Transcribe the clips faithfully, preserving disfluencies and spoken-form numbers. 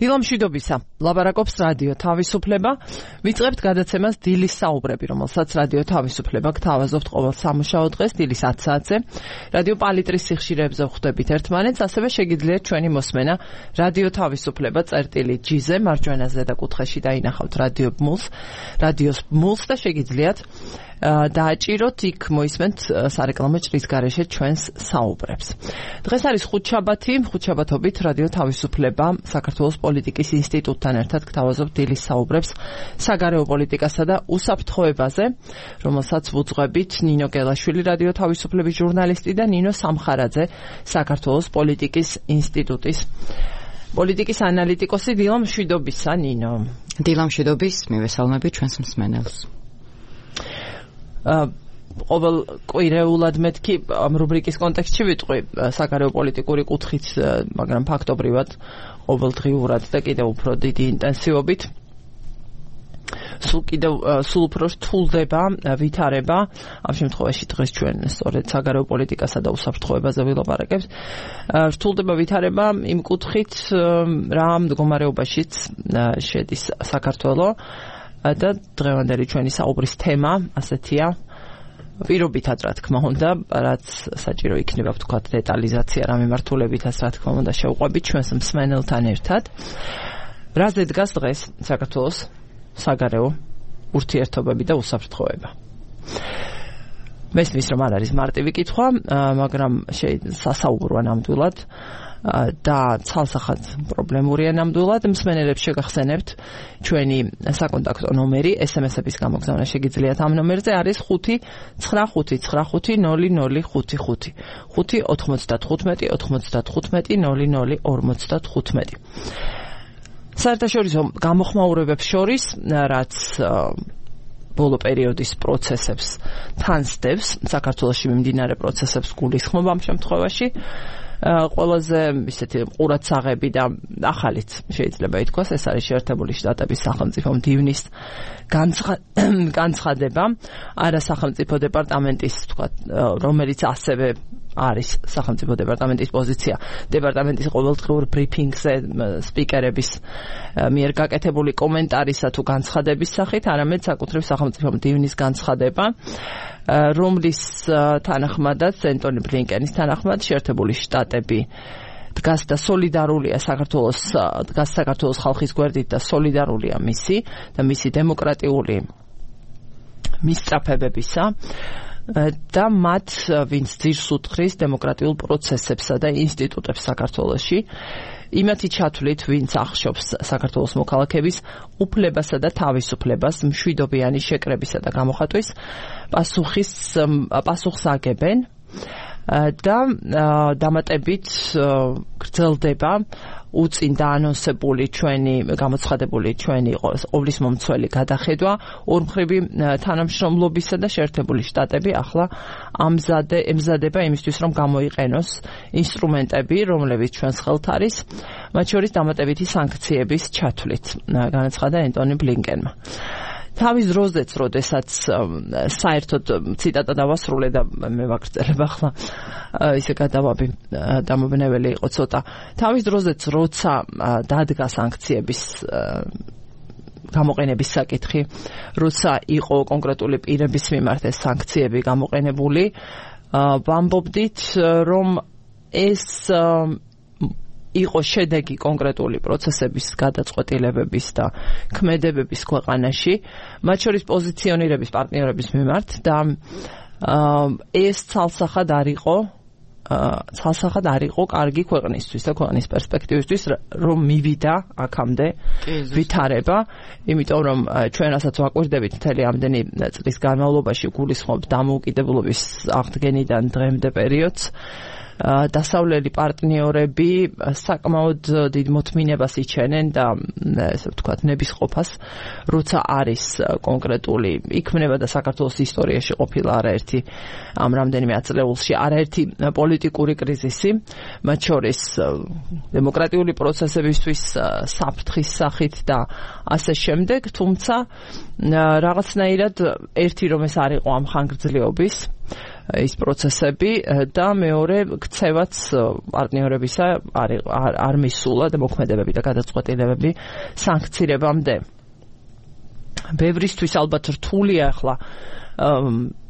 დილა მშვიდობისა, ლაპარაკობს რადიო თავისუფლება. ვიწყებთ გადაცემას დილის საუბრები, რომელსაც რადიო თავისუფლება გთავაზობთ ყოველ სამუშაო დღეს დილის ათ საათზე. რადიო პალიტრის სიხშირეებზე ვხვდებით ერთმანეთს, ასევე შეგიძლიათ ჩვენი მოსმენა რადიო თავისუფლება წერტილი ჯი-ზე მარჯვენა ზედა კუთხეში დაინახავთ რადიო ბმულს, რადიოს ბმულს და შეგიძლიათ დააჭიროთ, იქ მოისმენთ სარეკლამო ჭრის გარეშე ჩვენს საუბრებს. დღეს არის ხუთშაბათი, ხუთშაბათობით რადიო თავისუფლება საქართველოს პოლიტიკის ინსტიტუტთან ერთად გთავაზობთ დილის საუბრებს საგარეო პოლიტიკასა და უსაფრთხოებაზე, რომელსაც ვუძღვებით ნინო გელაშვილი, რადიო თავისუფლების ჟურნალისტი და ნინო სამხარაძე, საქართველოს პოლიტიკის ინსტიტუტის პოლიტიკის ანალიტიკოსი. დილა მშვიდობისა, ნინო. დილა მშვიდობის, მივესალმებით ჩვენს მსმენელს. ყოველ კვირეულად მეთქი ამ რუბრიკის კონტექსტში ვიტყვი საგარეო პოლიტიკური კუთხით, მაგრამ ფაქტობრივად ყოველდღიურად და კიდევ უფრო დიდი ინტენსივობით სულ კიდევ სულ უფრო რთულდება ვითარება. ამ შემთხვევაში დღეს ჩვენ სწორედ საგარეო პოლიტიკასა და უსაფრთხოებაზე ვილაპარაკებთ. რთულდება ვითარება იმ კუთხით, რა მდგომარეობაშიც შედის საქართველო და დღევანდელი ჩვენი საუბრის თემა ასეთია, პირობითად რა თქმა უნდა, რაც საჭირო იქნება ვთქვათ დეტალიზაცია რა მიმართულებითაც რა თქმა უნდა შევყვებით ჩვენს მსმენელთან ერთად. რაზე დგას დღეს საქართველოს საგარეო ურთიერთობები და უსაფრთხოება? მესმის რომ არ არის მარტივი კითხვა, მაგრამ სასაუბროა ნამდვილად და ცალსახად პრობლემურია ნამდვილად. მსმენელებს შეგახსენებთ ჩვენი საკონტაქტო ნომერი, ესემესების გამოგზავნა შეგიძლიათ ამ ნომერზე, არის ხუთი ცხრა ხუთი ცხრა ხუთი ნული ნული ხუთი ხუთი ხუთი ოთხმოცდათხუთმეტი ოცდათხუთმეტი ნული ნული ორმოცდათხუთმეტი. საერთაშორისო გამოხმაურებებს შორის, რაც ბოლო პერიოდის პროცესებს თანსდევს, საქართველოში მიმდინარე პროცესებს გულისხმობ ამ შემთხვევაში, ყველაზე ისეთი ყურადსაღები და ახალიც შეიძლება ითქვას, ეს არის შეერთებული შტატების სახელმწიფო მდივნის განცხადება, არა სახელმწიფო დეპარტამენტის, თქვათ, რომელიც ასევე არის სახელმწიფო დეპარტამენტის პოზიცია, დეპარტამენტის ყოველდღიურ ბრიფინგზე სპიკერების მიერ გაკეთებული კომენტარისა თუ განცხადების სახით, არამედ საკუთრივ სახელმწიფო მდივნის განცხადება, რომლის თანახმადაც ენტონი ბლინკენის თანახმად შეერთებული შტატები დგას და სოლიდარულია საქართველოს დგას საქართველოს ხალხის გვერდით და სოლიდარულია მისი და მისი დემოკრატიული მისწრაფებებისა და მათ, ვინც ძირს უთხრის დემოკრატიულ პროცესებსა და ინსტიტუტებს საქართველოში, იმათი ჩათვლით, ვინც ახშობს საქართველოს მოქალაქეების უფლებასა და თავისუფლებას მშვიდობიანი შეკრებისა და გამოხატვის პასუხის პასუხს აგებენ და დამატებით გრძელდება უწინ დაანონსებული ჩვენი გამოცხადებული ჩვენი ყოვლის მომცველი გადახედვა ორმხრივი თანამშრომლობისა და შეერთებული შტატები ახლა ამზადე ემზადება იმისთვის, რომ გამოიყენოს ინსტრუმენტები, რომლებიც ჩვენს ხელთ არის, მათ შორის დამატებითი სანქციების ჩათვლით, განაცხადა ენტონი ბლინკენმა. თავის დროზეც, როდესაც საერთოდ ციტატა დავასრულე და მე ვაგრძელებ ახლა ისე გადავაბი დამობნეველი იყო ცოტა. თავის დროზეც, როცა დადგა სანქციების გამოყენების საკითხი, როცა იყო კონკრეტული პირების მიმართ ეს სანქციები გამოყენებული, ვამბობდით, რომ ეს იყო შედეგი კონკრეტული პროცესების გადაწყვეტილებების და ქმედებების ქვეყანაში, მათ შორის პოზიციონირების პარტნიორების მიმართ და ეს ცალსახად არ იყო ცალსახად არ იყო კარგი ქვეყნისთვის და ქვეყნის პერსპექტივისთვის, რომ მივიდა აქამდე ვითარება, იმიტომ რომ ჩვენ რასაც ვაკვირდებით მთელი ამდენი წლის განმავლობაში გულისხმობ დამოუკიდებლობის აღდგენიდან დღემდე პერიოდს, დასავლელი პარტნიორები საკმაოდ დიდ მოთმინებას იჩენენ და ესე ვთქვათ ნებისყოფას, როცა არის კონკრეტული, იქმნება და საქართველოს ისტორიაში ყოფილა არაერთი ამ რამდენიმე ათწლეულში არაერთი პოლიტიკური კრიზისი, მათ შორის დემოკრატიული პროცესებისთვის საფრთხის სახით და ასე შემდეგ, თუმცა რაღაცნაირად ერთი რომ ეს არ იყო ამ ხანგრძლივობის ის პროცესები და მეორე ქცევაც პარტნიორებისა არ არ მისულა და მოქმედებები და გადაწყვეტილებები სანქცირებამდე. ბევრისთვის ალბათ რთულია ახლა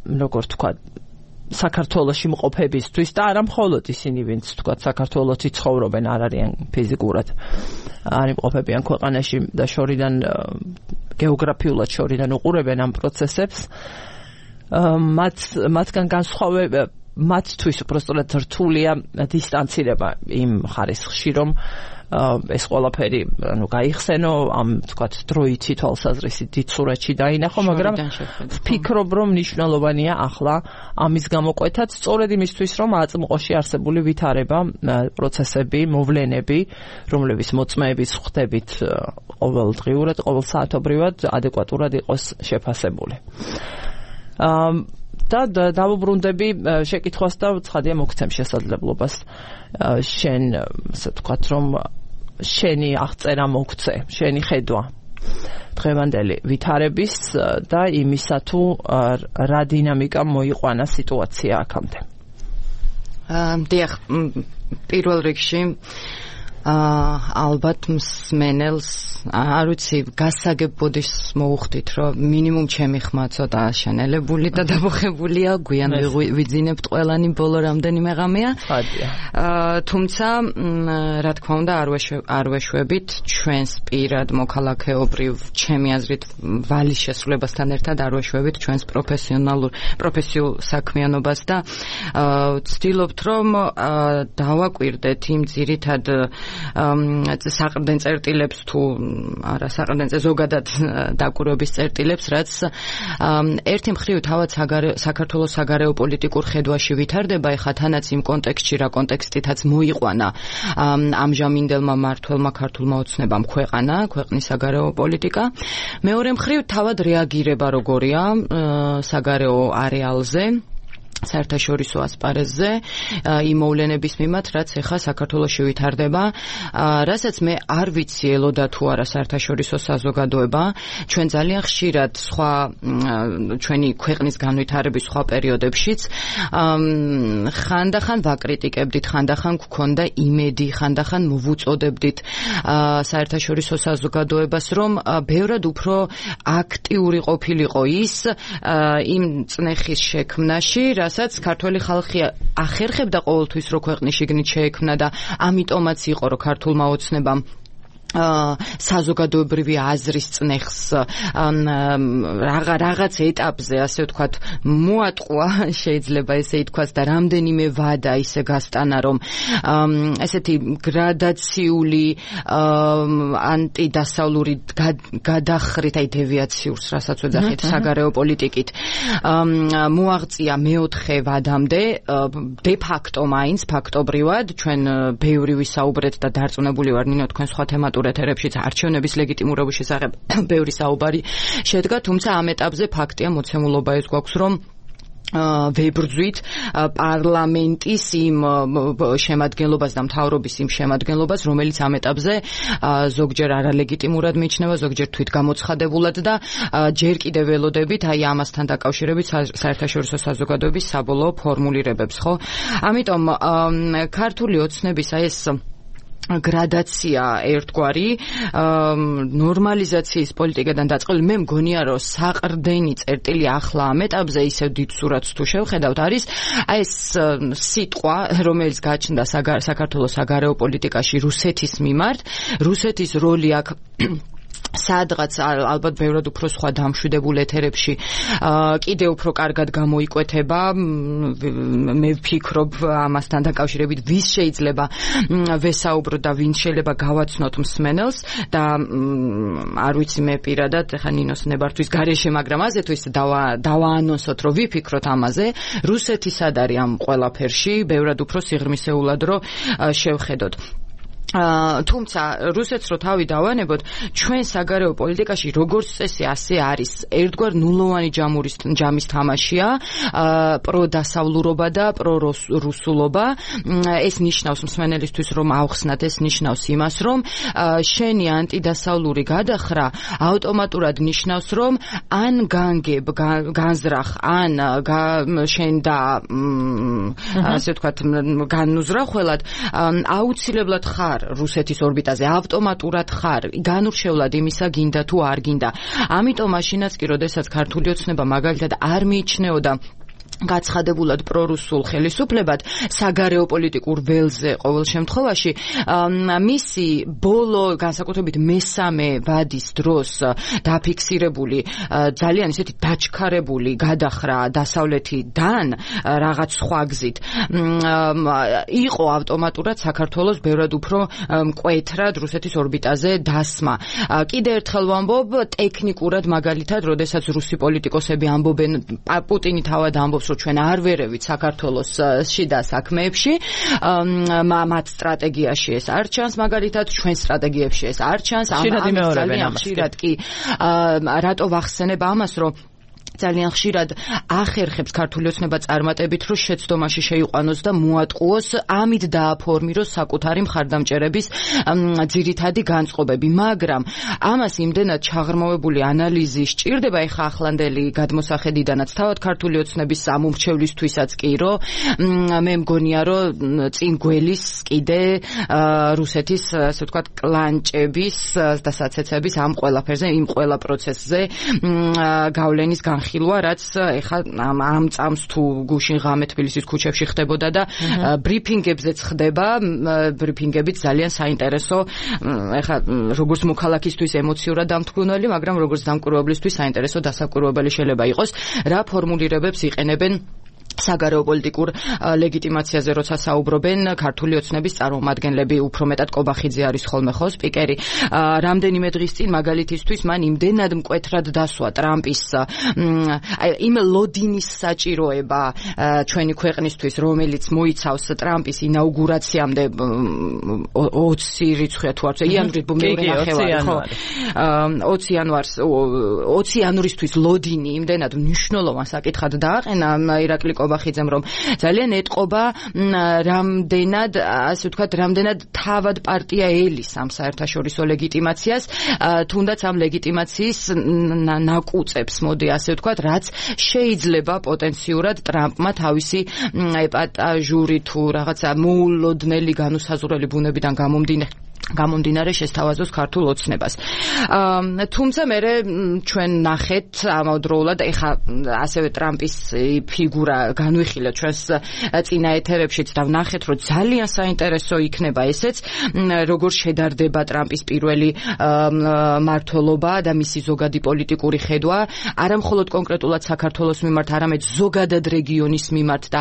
როგორ თქვა საქართველოში მყოფებისთვის და არა მხოლოდ ისინი ვინც თქვა საქართველოში ცხოვრობენ არ არიან ფიზიკურად არ იმყოფებიან ქვეყანაში და შორიდან გეოგრაფიულად შორიდან უყურებენ ამ პროცესებს მათ მათგან განსხვავება მათთვის უბრალოდ რთულია დისტანცირება იმ ხარისხში რომ ეს ყველაფერი ანუ გაიხსენო ამ თქვა დროითი თვალსაზრისით დიდ სურათში დაინახო მაგრამ ვფიქრობ რომ მნიშვნელოვანია ახლა ამის გამოკვეთაც სწორედ იმისთვის რომ აწმყოში არსებული ვითარება პროცესები მოვლენები რომლებიც მოწმეების ხვდებით ყოველდღიურად ყოველსაათობრივად ადეკვატურად იყოს შეფასებული და დავუბრუნდები შეკითხვას და ცხადია მოგცემ შესაძლებლობას შენ ასე ვთქვათ რომ შენი აღწერა მოგცე შენი ხედვა დღევანდელი ვითარების და იმისა თუ რა დინამიკა მოიყვანა სიტუაცია აქამდე დიახ პირველ რიგში ალბათ მსმენელს არ ვიცი გასაგებოდის მოუხდით რომ მინიმუმ ჩემი ხმა ცოტა შენელებული და დამოხებულია გვიან ვიძინებთ ყველანი ბოლო რამდენიმე ღამეა თუმცა რა თქმა უნდა არ ვეშვებით ჩვენს პირად მოქალაქეობრივ ჩემი აზრით ვალის შესრულებასთან ერთად არ ვეშვებით ჩვენს პროფესიონალურ პროფესიულ საქმიანობას და ვცდილობთ რომ დავაკვირდეთ იმ ძირითად საყრდენ წერტილებს თუ არა საყრდენ ზოგადად დაკვირვების წერტილებს რაც ერთი მხრივ თავად საქართველოს საგარეო პოლიტიკურ ხედვაში ვითარდება ეხლა თანაც იმ კონტექსტში რა კონტექსტითაც მოიყვანა ამჟამინდელმა მმართველმა ქართულმა ოცნებამ ქვეყანა ქვეყნის საგარეო პოლიტიკა მეორე მხრივ თავად რეაგირება როგორია საგარეო არეალზე საერთაშორისო ასპარეზზე იმ მოვლენების მიმართ, რაც ეხლა საქართველოში ვითარდება, რასაც მე არ ვიცი ელოდა თუ არა საერთაშორისო საზოგადოება, ჩვენ ძალიან ხშირად სხვა ჩვენი ქვეყნის განვითარების სხვა პერიოდებშიც ხანდახან ვაკრიტიკებდით, ხანდახან გქონდა იმედი, ხანდახან მოვუწოდებდით საერთაშორისო საზოგადოებას, რომ ბევრად უფრო აქტიური ყოფილიყო ის იმ წნეხის შექმნაში, რასაც ქართველი ხალხი ახერხებდა ყოველთვის რო ქვეყნის შიგნით შეექმნა და ამიტომაც იყო რომ ქართულმა ოცნებამ საზოგადოებრივი აზრის წნეხს რაღაც ეტაპზე ასე ვთქვათ მოატყვა შეიძლება ესე ითქვას და რამდენიმე ვადა ისე გასტანა რომ ესეთი გრადაციული ანტიდასავლური გადახრით აი დევიაციურს რასაც ვეძახით საგარეო პოლიტიკით მოაღწია მეოთხე ვადამდე დე ფაქტო მაინც ფაქტობრივად ჩვენ ბევრი ვისაუბრეთ და დარწმუნებული ვარ ნინო თქვენ სხვა თემატურ ეთერებშიც არჩევნების ლეგიტიმურობის შესახებ ბევრი საუბარი შედგა, თუმცა ამ ეტაპზე ფაქტია მოცემულობა ეს გვაქვს, რომ ვებრძვით პარლამენტის იმ შემადგენლობას და მთავრობის იმ შემადგენლობას, რომელიც ამ ეტაპზე ზოგჯერ არალეგიტიმურად მიიჩნევა, ზოგჯერ თვითგამოცხადებულად და ჯერ კიდევ ველოდებით აი ამასთან დაკავშირებით საერთაშორისო საზოგადოების საბოლოო ფორმულირებებს, ხო? ამიტომ ქართული ოცნების აი ეს გრადაცია ერთგვარი ნორმალიზაციის პოლიტიკიდან დაწყებული მე მგონია რომ საყრდენი წერტილი ახლა ამ ეტაპზე ისევ დიდ სურათს თუ შევხედავთ არის აი ეს სიტყვა რომელიც გაჩნდა საქართველოს საგარეო პოლიტიკაში რუსეთის მიმართ რუსეთის როლი აქ სადღაც ალბათ ბევრად უფრო სხვა დამშვიდებულ ეთერებში კიდევ უფრო კარგად გამოიკვეთება მე ვფიქრობ ამასთან დაკავშირებით ვის შეიძლება ვესაუბრო და ვინ შეიძლება გავაცნოთ მსმენელს და არ ვიცი მე პირადად ეხა ნინოს ნებართვის გარეშე მაგრამ ასე თუ ის დავაანონსოთ რომ ვიფიქროთ ამაზე რუსეთი სად არის ამ ყველაფერში ბევრად უფრო სიღრმისეულად რომ შევხედოთ თუმცა რუსეთს რო თავი დავანებოთ, ჩვენ საგარეო პოლიტიკაში როგორც წესი ასე არის, ერთგვარ ნულოვანი ჯამურის ჯამის თამაშია, პროდასავლურობა და პრორუსულობა. ეს ნიშნავს მსმენელისთვის, რომ ავხსნათ, ეს ნიშნავს იმას, რომ შენი ანტიდასავლური გადახრა ავტომატურად ნიშნავს, რომ ან განგებ, განზრახ, ან შენ და ასე ვთქვათ, განუზრახველად, აუცილებლად ხარ რუსეთის ორბიტაზე, ავტომატურად ხარ, განურჩევლად იმისა გინდა თუ არ გინდა. ამიტომ მაშინაც კი, როდესაც ქართული ოცნება მაგალითად არ მიიჩნეოდა გაცხადებულად პრორუსულ ხელისუფლებად საგარეო პოლიტიკურ ველზე ყოველ შემთხვევაში მისი ბოლო განსაკუთრებით მესამე ვადის დროს დაფიქსირებული ძალიან ისეთი დაჩქარებული გადახრა დასავლეთიდან რაღაც სხვა გზით იყო ავტომატურად საქართველოს ბევრად უფრო მკვეთრად რუსეთის ორბიტაზე დასმა. კიდევ ერთხელ ვამბობ, ტექნიკურად მაგალითად, როდესაც რუსი პოლიტიკოსები ამბობენ, პუტინი თავად ამბობს, რომ ჩვენ არ ვერევით საქართველოს შიდა საქმეებში, მათ სტრატეგიაში ეს არ ჩანს, მაგალითად ჩვენ სტრატეგიებში ეს არ ჩანს. ამას ძალიან ხშირად კი რატო ვახსენებ ამას, რომ ძალიან ხშირად ახერხებს ქართული ოცნება წარმატებით, რომ შეცდომაში შეიყვანოს და მოატყუოს, ამით დააფორმიროს საკუთარი მხარდამჭერების ძირითადი განწყობები, მაგრამ ამას იმდენად ჩაღრმავებული ანალიზი სჭირდება ეხა ახლანდელი გადმოსახედიდანაც თავად ქართული ოცნების ამომრჩევლისთვისაც კი, რომ მე მგონია, რომ წინ გველის კიდე რუსეთის, ასე ვთქვათ, კლანჭების და საცეცების ამ ყველაფერზე, იმ ყველა პროცესზე გავლენის განხილვა, რაც ეხა ამ წამს თუ გუშინ ღამე თბილისის ქუჩებში ხდებოდა და ბრიფინგებზეც ხდება, ბრიფინგებით ძალიან საინტერესო, ეხა როგორც მოქალაქისთვის ემოციურად დამთგუნელი, მაგრამ როგორც დამკვირვებლისთვის საინტერესო დასაკვირვებელი შეიძლება იყოს, რა ფორმულირებებს იყენებენ საგარეო პოლიტიკურ ლეგიტიმაციაზე როცა საუბრობენ ქართული ოცნების წარმომადგენლები, უფრო მეტად კობახიძე არის ხოლმე ხო სპიკერი. რამდენიმე დღის წინ მაგალითისთვის მან იმდენად მკვეთრად დასვა ტრამპის იმ ლოდინის საჭიროება ჩვენი ქვეყნისთვის, რომელიც მოიცავს ტრამპის ინაუგურაციამდე ოცი რიცხვია თუ არ იანვრის მეორე ნახევარი, ხო? ოცი იანვარს ოცი იანვრისთვის ლოდინი იმდენად მნიშვნელოვან საკითხად დააყენა ირაკლი კობახიძემ, რომ ძალიან ეტყობა რამდენად, ასე ვთქვათ, რამდენად თავად პარტია ელის ამ საერთაშორისო ლეგიტიმაციას, თუნდაც ამ ლეგიტიმაციის ნაკუწებს, მოდი ასე ვთქვათ, რაც შეიძლება პოტენციურად ტრამპმა თავისი ეპატაჟური თუ რაღაცა მოულოდნელი განუსაზღვრელი ბუნებიდან გამომდინარე გამომდინარე შესთავაზოს ქართულ ოცნებას. თუმცა მე ჩვენ ნახეთ ამავდროულად, ეხა ასევე ტრამპის ფიგურა განვიხილეთ ჩვენს წინა ეთერებშიც და ვნახეთ, რომ ძალიან საინტერესო იქნება ესეც, როგორ შედარდება ტრამპის პირველი მმართველობა და მისი ზოგადი პოლიტიკური ხედვა, არა მხოლოდ კონკრეტულად საქართველოს მიმართ, არამედ ზოგადად რეგიონის მიმართ და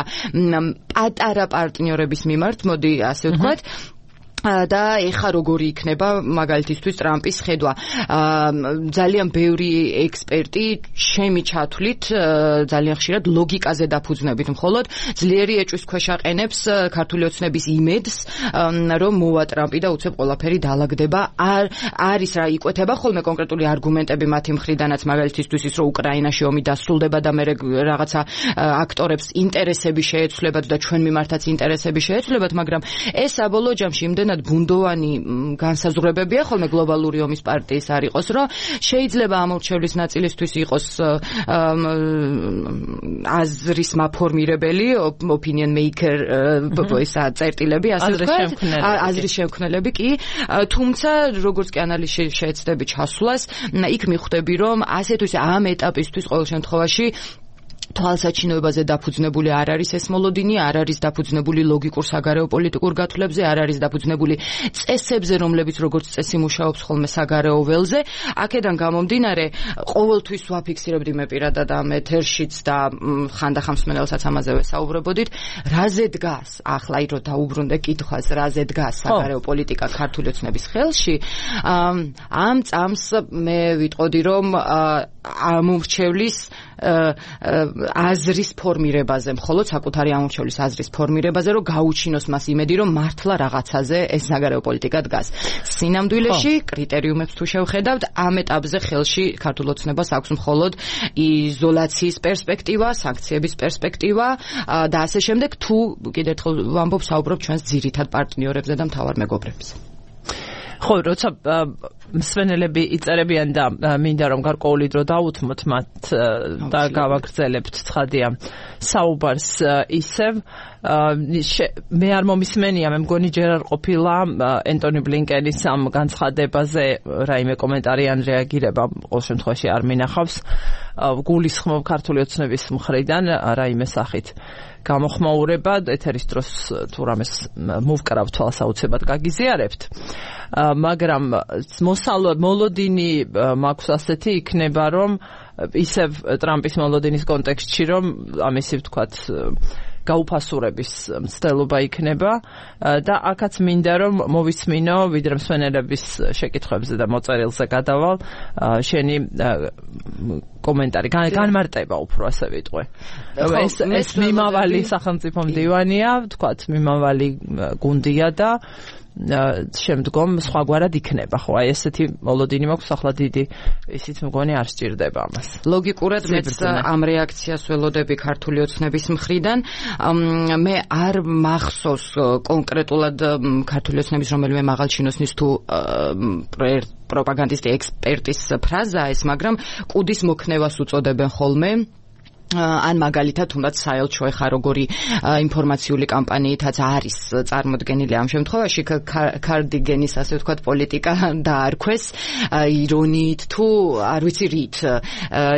პატარა პარტნიორების მიმართ, მოდი ასე ვთქვათ. და ეხა როგორი იქნება მაგალითისთვის ტრამპის ხედვა. ძალიან ბევრი ექსპერტი შემი ჩათვლით ძალიან ხშირად ლოგიკაზე დაფუძნებით, მხოლოდ ძლიერი ეჭვის ქვეშ აყენებს ქართული ოცნების იმედს, რომ მოვა ტრამპი და უცებ ყველაფერი დაალაგდება. არ არის რა იკვეთება ხოლმე კონკრეტული არგუმენტები მათი მხრიდანაც, მაგალითისთვის ის, რომ უკრაინაში ომი დასრულდება და მე რაღაცა აქტორებს ინტერესები შეეცვლებათ და ჩვენ მიმართაც ინტერესები შეეცვლებათ, მაგრამ ეს საბოლოო ჯამში იმდენად ბუნდოვანი განსაზღვრებებია ხოლმე გლობალური ომის პარტიის არ იყოს, რომ შეიძლება ამორჩევლის ნაწილისთვის იყოს აზრის მაფორმირებელი, opinion maker, ესა წერტილები, ასე ვთქვათ, აზრის შემქმნელები კი, თუმცა როგორც კი ანალიზი შეეცდები ჩასვლას, იქ მიხვდები, რომ ასე თუ ისე ამ ეტაპისთვის ყოველ შემთხვევაში თვალსაჩინოებაზე დაფუძნებული არ არის ეს მოლოდინი, არ არის დაფუძნებული ლოგიკურ საგარეო პოლიტიკურ გათვლებზე, არ არის დაფუძნებული წესებზე, რომლებიც როგორც წესი მუშაობს ხოლმე საგარეო ველზე. აქედან გამომდინარე, ყოველთვის ვაფიქსირებდი მე პირადად ამ ეთერშიც და ხანდახან მსმენელსაც ამაზე ვესაუბრებოდით, რაზე დგას, ახლა ირო დაუბრუნდე კითხვას, რაზე დგას საგარეო პოლიტიკა ქართული ოცნების ხელში. ამ წამს მე ვიტყოდი, რომ ამომრჩევლის აზრის ფორმირებაზე, მხოლოდ საკუთარი ამორჩევლის აზრის ფორმირებაზე, რომ გაუჩინოს მას იმედი, რომ მართლა რაღაცაზე ეს საგარეო პოლიტიკა დგას. სინამდვილეში კრიტერიუმებს თუ შევხედავთ, ამ ეტაპზე ხელში ქართულ ოცნებას აქვს მხოლოდ იზოლაციის პერსპექტივა, სანქციების პერსპექტივა და ასე შემდეგ, თუ კიდევ ერთხელ ვამბობ, საუბრობ ჩვენს ძირითად პარტნიორებზე და მთავარ მეგობრებზე. ხო, როცა მსვენელები იწერებიან და მინდა რომ გარკვეული დრო დაუთმოთ მათ და გავაგრძელებთ ცხადია საუბარს ისევ მე არ მომისმენია, მე მგონი ჯერ არ ყოფილა ენტონი ბლინკენის ამ განცხადებაზე რაიმე კომენტარი ან რეაგირება ყოველ შემთხვევაში არ მინახავს. გულისხმობ ქართული ოცნების მხრიდან რაიმე სახით გამოხმაურება, ეთერის დროს თუ რამეს მოვკრავ თვალს აუცილებლად გაგიზიარებთ. მაგრამ მოსალოდინი მაქვს ასეთი იქნება, რომ ისევ ტრამპის მოლოდინის კონტექსტში, რომ ამისი ვთქვათ გაუფასურების მცდელობა იქნება და აქაც მინდა რომ მოვისმინო, ვიდრე მსვენელების შეკითხვებზე და მოწერილზე გადავალ, შენი კომენტარი, განმარტება უფრო ასე ვიტყვე. ეს ეს მიმავალი სახელმწიფო მდივანია, ვთქვათ, მიმავალი გუნდია და შემდგომ სხვაგვარად იქნება, ხო, აი ესეთი მოლოდინი მაქვს, ახლა დიდი ისიც მგონი არ სჭირდება ამას. ლოგიკურად მეც ამ რეაქციას ველოდები ქართული ოცნების მხრიდან. მე არ მახსოვს კონკრეტულად ქართული ოცნების რომელიმე მაღალჩინოსნის თუ პროპაგანდისტი ექსპერტის ფრაზაა ეს, მაგრამ კუდის მოქნევას უწოდებენ ხოლმე. ან მაგალითად თუნდაც საელჩო ეხა როგორი ინფორმაციული კამპანიითაც არის წარმოდგენილი ამ შემთხვევაში კარდიგენის ასე ვთქვათ პოლიტიკა დაარქვეს ირონიით თუ არ ვიცი რით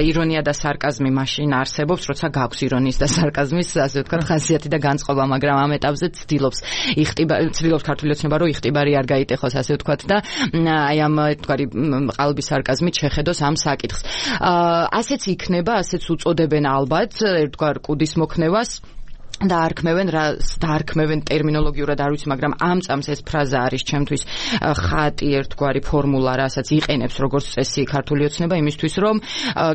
ირონია და სარკაზმი მაშინ არსებობს როცა გაქვს ირონიის და სარკაზმის ასე ვთქვათ ხასიათი და განწყობა, მაგრამ ამ ეტაპზე ცდილობს იხტიბარი ცდილობს ქართული ოცნება რომ იხტიბარი არ გაიტეხოს ასე ვთქვათ და აი ამ თქვარი ყალბის სარკაზმით შეხედოს ამ საკითხს. ასეც იქნება, ასეც უწოდებენ ალბათ ერთგვარ კუდის მოქნევას და არქმევენ დაარქმევენ ტერმინოლოგიურად არ ვიცი, მაგრამ ამ წამს ეს ფრაზა არის ჩემთვის ხატი ერთგვარი ფორმულა, რასაც იყენებს როგორც წესი ქართული ოცნება იმისთვის, რომ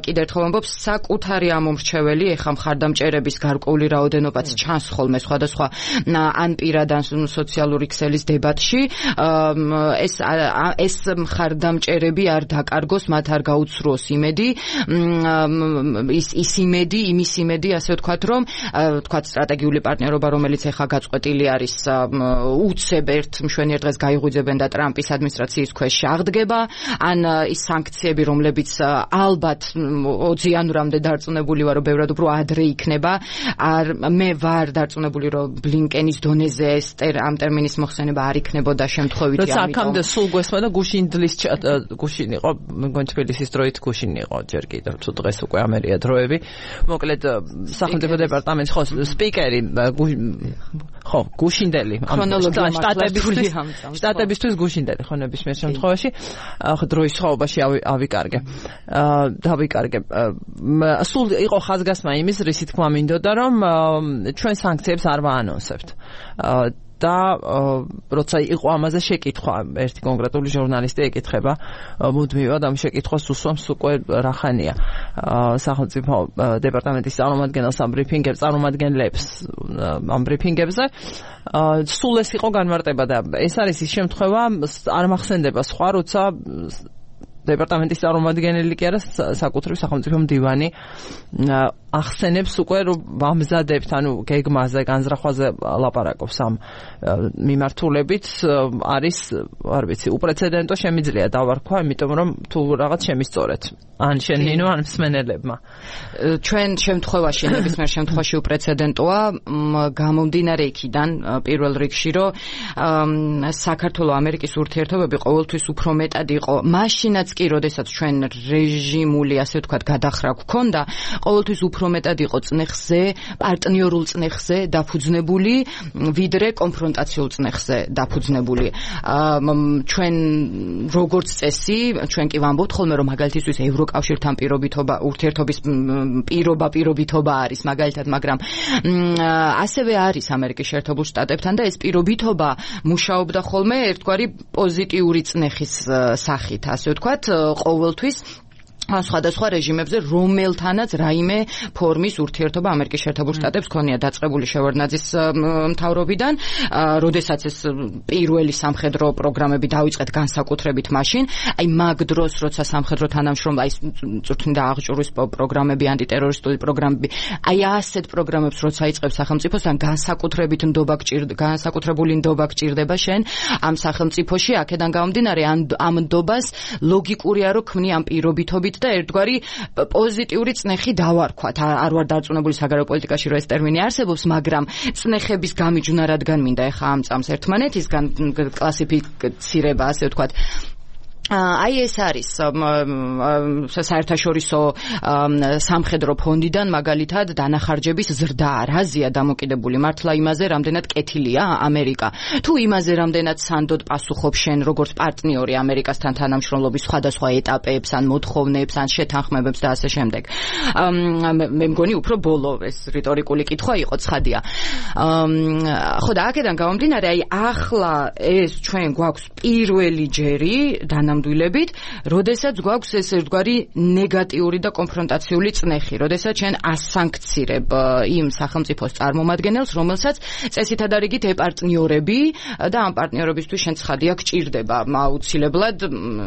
კიდევ ერთხელ ვამბობ, საკუთარი ამომრჩეველი ეხა მხარდამჭერების გარკვეული რაოდენობაც ჩანს ხოლმე სხვადასხვა ან პირად ან სოციალური ქსელის დებატში, ეს ეს მხარდამჭერები არ დაკარგოს, მათ არ გაუცრუოს იმედი, ის ის იმედი, იმის იმედი, ასე ვთქვათ, რომ ვთქვათ სტრატეგიული პარტნიორობა, რომელიც ეხა გაწყვეტილი არის, უცებ ერთ მშვენიერ დღეს გაიღვიძებენ და ტრამპის ადმინისტრაციის ქვეშ აღდგება, ან ის სანქციები, რომლებიც ალბათ ოცი იანვრამდე დარწმუნებული ვარ, რომ ბევრად უფრო ადრე იქნება. მე ვარ დარწმუნებული, რომ ბლინკენის დონეზე ეს ამ ტერმინის მოხსენება არ იქნებოდა შემთხვევითი, ამიტომ. როცა აქამდე სულ გვესმა და გუშინდლის გუშინ იყო, მგონი თბილისის დროით გუშინ იყო ჯერ კიდევ, თუ დღეს უკვე ამერია დროები. მოკლედ სახელმწიფო დეპარტამენტის ხო სპიკერი ხო გუშინდელი შტატებისთვის შტატებისთვის გუშინდელი ხო ნებისმიერ შემთხვევაში დროის სხვაობაში ავიკარგე დავიკარგე სულ იყო ხაზგასმა იმის, რისი თქმა მინდოდა, რომ ჩვენ სანქციებს არ ვაანონსებთ და როცა იყო ამაზე შეკითხვა, ერთი კონკრეტული ჟურნალისტი ეკითხება მუდმივად ამ შეკითხვას უსვამს უკვე რახანია სახელმწიფო დეპარტამენტის წარმომადგენელს ამ ბრიფინგებს წარმომადგენლებს ამ ბრიფინგებზე სულ ეს იყო განმარტება და ეს არის ის შემთხვევა, არ მახსენდება სხვა, როცა დეპარტამენტის წარმომადგენელი კი არა, საკუთრივ სახელმწიფო მდივანი ახსენებს უკვე, რომ ამზადებთ, ანუ გეგმაზე, განზრახვაზე ლაპარაკობს ამ მიმართულებით, არის, არ ვიცი, უპრეცედენტო შემიძლია დავარქვა, იმიტომ რომ თუ რაღაც შემისწორეთ. ან შენ ნინო, ან მსმენელებმა. ჩვენ შემთხვევაში, ნებისმიერ შემთხვევაში უპრეცედენტოა, გამომდინარე იქიდან პირველ რიგში, რომ საქართველო-ამერიკის ურთიერთობები ყოველთვის უფრო მეტად იყო. მაშინაც კი, როდესაც ჩვენ რეჟიმული, ასე ვთქვათ, გადახრა გვქონდა, ყოველთვის უფრო მეტად იყო წნეხზე, პარტნიორულ წნეხზე დაფუძნებული, ვიდრე კონფრონტაციულ წნეხზე დაფუძნებული. ჩვენ როგორც წესი, ჩვენ კი ვამბობთ ხოლმე, რომ მაგალითისთვის ევროკავშირთან პირობითობა, ურთიერთობის პირობა, პირობითობა არის მაგალითად, მაგრამ ასევე არის ამერიკის შეერთებულ შტატებთან და ეს პირობითობა მუშაობდა ხოლმე ერთგვარი პოზიტიური წნეხის სახით, ასე ვთქვათ, ყოველთვის სხვადასხვა რეჟიმებზე, რომელთანაც რაიმე ფორმის ურთიერთობა ამერიკის შეერთებულ შტატებს ქონია დაწყებული შევარდნაძის მთავრობიდან, როდესაც ეს პირველი სამხედრო პროგრამები დაიწყეთ განსაკუთრებით მაშინ, აი მაგ დროს, როცა სამხედრო თანამშრომლობა, აი წვრთნიდა აღჭურვის პროგრამები, ანტიტერორისტული პროგრამები, აი ასეთ პროგრამებს როცა იწყებს სახელმწიფოსთან, განსაკუთრებით ნდობა გჭირდება, განსაკუთრებული ნდობა გჭირდება შენ ამ სახელმწიფოში, აქედან გამომდინარე ამ ნდობას ლოგიკურია რომ ქმნი ამ პირობითობით და ერთგვარი პოზიტიური წნეხი დავარქვათ. არ ვარ დარწმუნებული საგარეო პოლიტიკაში რომ ეს ტერმინი არსებობს, მაგრამ წნეხების გამიჯვნა რადგან მინდა ეხა ამ წამს ერთმანეთისგან კლასიფიცირება, ასე ვთქვათ. აი ეს არის საერთაშორისო სამხედრო ფონდიდან მაგალითად დანახარჯების ზრდა რაზეა დამოკიდებული, მართლა იმაზე რამდენად კეთილია ამერიკა, თუ იმაზე რამდენად სანდოდ პასუხობს შენ როგორც პარტნიორი ამერიკასთან თანამშრომლობის სხვადასხვა ეტაპებს, ან მოთხოვნებს, ან შეთანხმებებს და ასე შემდეგ. მე მგონი უფრო ბოლო ეს რიტორიკული კითხვა იყო, ცხადია. ხო და აქედან გამომდინარე, აი ახლა ეს ჩვენ გვაქვს პირველი ჯერი დანამდვილებით, როდესაც გვაქვს ეს ერთგვარი ნეგატიური და კონფრონტაციული წნეხი, როდესაც ჩვენ ასანქცირებ იმ სახელმწიფოს წარმომადგენელს, რომელსაც წესითა და რიგით ეპარტნიორები და ამ პარტნიორებისთვის შენ ცხადია გჭირდება აუცილებლად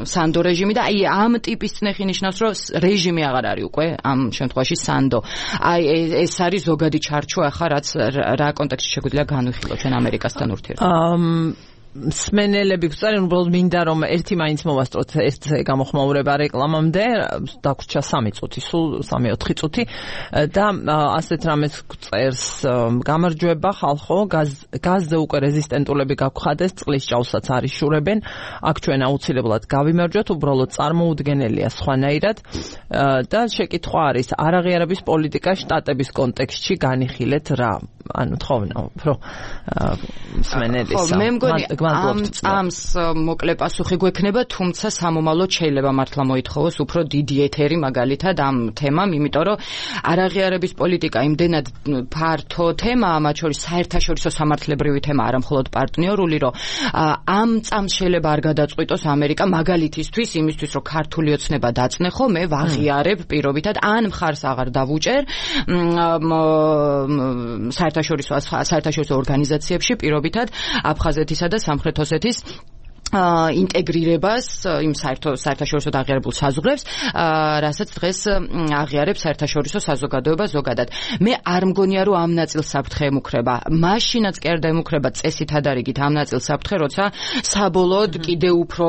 სანდო რეჟიმი და აი ამ ტიპის წნეხი ნიშნავს, რომ რეჟიმი აღარ არის უკვე ამ შემთხვევაში სანდო. აი ეს არის ზოგადი ჩარჩო ახლა რაც რა კონტექსტში შეგვიძლია განვიხილოთ ჩვენ ამერიკასთან ურთიერთობას. მსმენელები გვწარენ, უბრალოდ მინდა რომ ერთი მაინც მოვასწროთ ერთ გამოხმაურება რეკლამამდე, დაგვრჩა სამი წუთი, სულ სამი ოთხი წუთი და ასეთ რამეს გვწერს გამარჯვება ხალხო, გაზზე უკვე რეზისტენტულები გაგხადეს, წყლის ჭაუსაც არ იშურებენ, აქ ჩვენ აუცილებლად გავიმარჯვოთ, უბრალოდ წარმოუდგენელია სხვანაირად და შეკითხვა არის არაღიარების პოლიტიკა შტატების კონტექსტში განიხილეთ რა, ანუ თხოვნა უფრო მსმენელისა. მე მგონი ამ წამს მოკლე პასუხი გვექნება, თუმცა სამომავლოდ შეიძლება მართლა მოითხოვოს უფრო დიდი ეთერი მაგალითად ამ თემამ, იმიტომ რომ არაღიარების პოლიტიკა იმდენად ფართო თემაა, მათ შორის საერთაშორისო სამართლებრივი თემა, არა მხოლოდ პარტნიორული, რომ ამ წამს შეიძლება არ გადაწყვიტოს ამერიკა მაგალითისთვის, იმისთვის რომ ქართული ოცნება დაწნეხო, მე ვაღიარებ პირობითად, ან მხარს აღარ დავუჭერ საერთაშორისო საერთაშორისო ორგანიზაციებში პირობითად აფხაზეთისა და სამხრეთ ოსეთის ინტეგრირებას იმ საერთაშორისო აღიარებულ საზღვრებს, რასაც დღეს აღიარებს საერთაშორისო საზოგადოება ზოგადად. მე არ მგონია რომ ამ ნაწილს საფრთხე ემუქრება. მაშინაც კი არ დაემუქრება წესითა და რიგით ამ ნაწილს საფრთხე, როცა საბოლოოდ კიდევ უფრო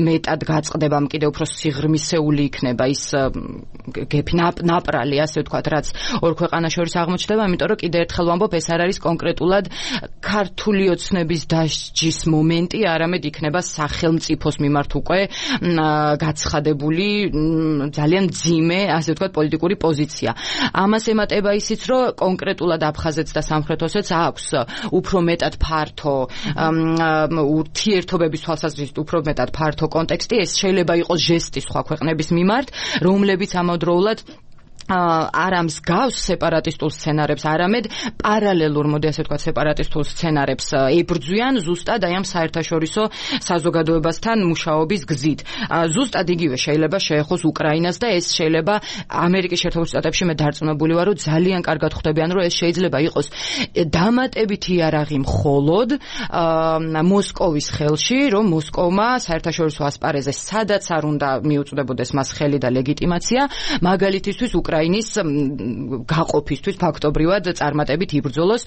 მეტად გაწყდება, კიდევ უფრო სიღრმისეული იქნება ის გეფი ნაპრალი, ასე ვთქვათ, რაც ორ ქვეყანას შორის აღმოჩნდება, იმიტომ რომ კიდევ ერთხელ ვამბობ, ეს არ არის კონკრეტულად ქართული ოცნების დასჯის მომენტი, არამედ იქნება სახელმწიფოს მიმართ უკვე გაცხადებული ძალიან მძიმე, ასე ვთქვათ, პოლიტიკური პოზიცია. ამას ემატება ისიც, რომ კონკრეტულად აფხაზეთს და სამხრეთ ოსეთს აქვს უფრო მეტად ფართო ურთიერთობების თვალსაზრისით უფრო მეტად ფართო კონტექსტი, ეს შეიძლება იყოს ჟესტი სხვა ქვეყნების მიმართ, რომლებიც ამავდროულად არ ამსგავს სეპარატისტულ სცენარებს, არამედ პარალელურ, მოდი ასე ვთქვათ, სეპარატისტულ სცენარებს ებრძვიან ზუსტად აი ამ საერთაშორისო საზოგადოებასთან მუშაობის გზით. ზუსტად იგივე შეიძლება შეეხოს უკრაინას და ეს შეიძლება ამერიკის შეერთებულ შტატებში მე დარწმუნებული ვარ, რომ ძალიან კარგად ხვდებიან, რომ ეს შეიძლება იყოს დამატებითი იარაღი მხოლოდ მოსკოვის ხელში, რომ მოსკოვმა საერთაშორისო ასპარეზზე სადაც არ უნდა მიუწვდებოდეს მას ხელი და ლეგიტიმაცია, მაგალითისთვის უკრაინის გაყოფისთვის ფაქტობრივად წარმატებით იბრძოლოს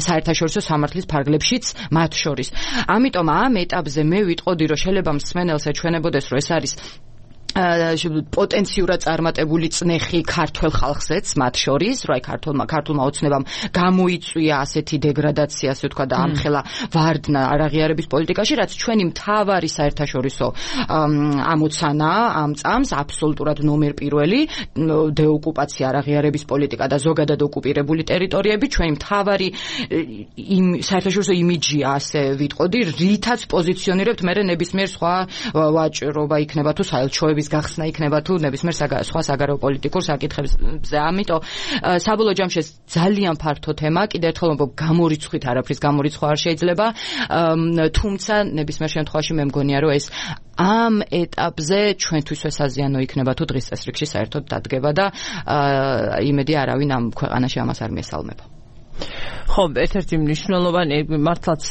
საერთაშორისო სამართლის ფარგლებშიც მათ შორის. ამიტომ ამ ეტაპზე მე ვიტყოდი, რომ შეიძლება მსმენელს ეჩვენებოდეს, რომ ეს არის პოტენციურად წარმატებული წნეხი ქართველ ხალხზეც მათ შორის, რომ აი ქართულმა ქართულმა ოცნებამ გამოიწვია ასეთი დეგრადაცია, ასე ვთქვა და ამხელა ვარდნა არაღიარების პოლიტიკაში, რაც ჩვენი მთავარი საერთაშორისო ამოცანა ამ წამს აბსოლუტურად ნომერ პირველი, დეოკუპაცია, არაღიარების პოლიტიკა და ზოგადად ოკუპირებული ტერიტორიები, ჩვენი მთავარი საერთაშორისო იმიჯია, ასე ვიტყოდი, რითაც პოზიციონირებთ მე ნებისმიერ სხვა ვაჭრობა იქნება თუ საელჩოების გახსნა იქნება თუ ნებისმიერ სხვა საგარეო პოლიტიკურ საკითხებზე. ამიტომ საბოლოო ჯამში ძალიან ფართო თემა, კიდევ ერთხელ ვამბობ, გამორიცხვით არაფრის გამორიცხვა არ შეიძლება, თუმცა ნებისმიერ შემთხვევაში მე მგონია რომ ეს ამ ეტაპზე ჩვენთვის ესაზიანო იქნება თუ დღის წესრიგში საერთოდ დადგება და იმედი არავინ ამ ქვეყანაში ამას არ მიესალმება. ხო, ერთ-ერთი მნიშვნელოვანი მართლაც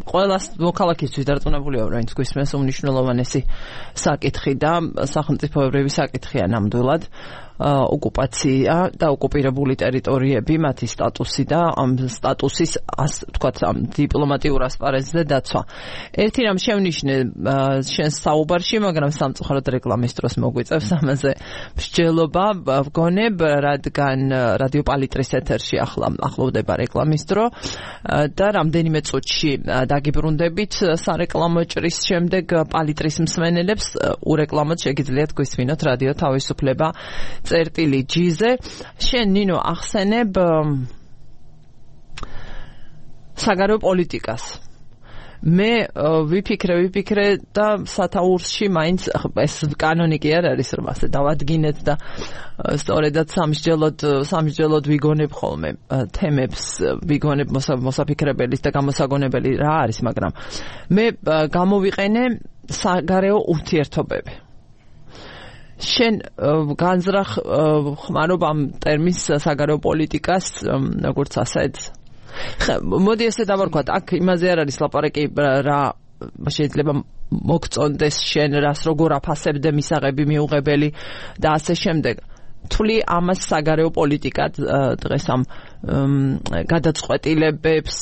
ყველას მოქალაქისთვის დარწმუნებულია, რაინც გვისმენს უმნიშვნელოვანესი საკითხი და სახელმწიფოებრივი საკითხია ნამდვილად. ოკუპაცია და ოკუპირებული ტერიტორიები, მათი სტატუსი და ამ სტატუსის თქვათ ამ დიპლომატიურ ასპარეზზე დაცვა. ერთი რამ შევნიშნე შენ საუბარში, მაგრამ სამწუხაროდ რეკლამის დროს მოგვიწევს ამაზე მსჯელობა ვგონებ, რადგან რადიო პალიტრის ეთერში ახლა ახლოვდება რეკლამის დრო და რამდენიმე წუთში დაგიბრუნდებით სარეკლამო ჭრის შემდეგ პალიტრის მსმენელებს ურეკლამოდ შეგიძლიათ გვისმინოთ რადიო თავისუფლება წერტილი ჯიზე. შენ ნინო ახსენებ საგარეო პოლიტიკას. მე ვიფიქრე ვიფიქრე და სათაურში მაინც ეს კანონი კი არ არის რომ ასე დავადგინეთ და სწორედაც სამსჯელოდ სამსჯელოდ ვიგონებ ხოლმე თემებს, ვიგონებ მოსაფიქრებელის და გამოსაგონებელი რა არის, მაგრამ მე გამოვიყენე საგარეო ურთიერთობები. შენ განზრახ ხმარობ ამ ტერმინს საგარეო პოლიტიკას, როგორც ასეთ. მოდი ესე დავარქვათ, აქ იმაზე არ არის ლაპარაკი რა შეიძლება მოგწონდეს შენ, რას როგორ აფასებდე მისაღები მიუღებელი და ასე შემდეგ. თვლი ამას საგარეო პოლიტიკად დღეს ამ გადაწყვეტილებებს,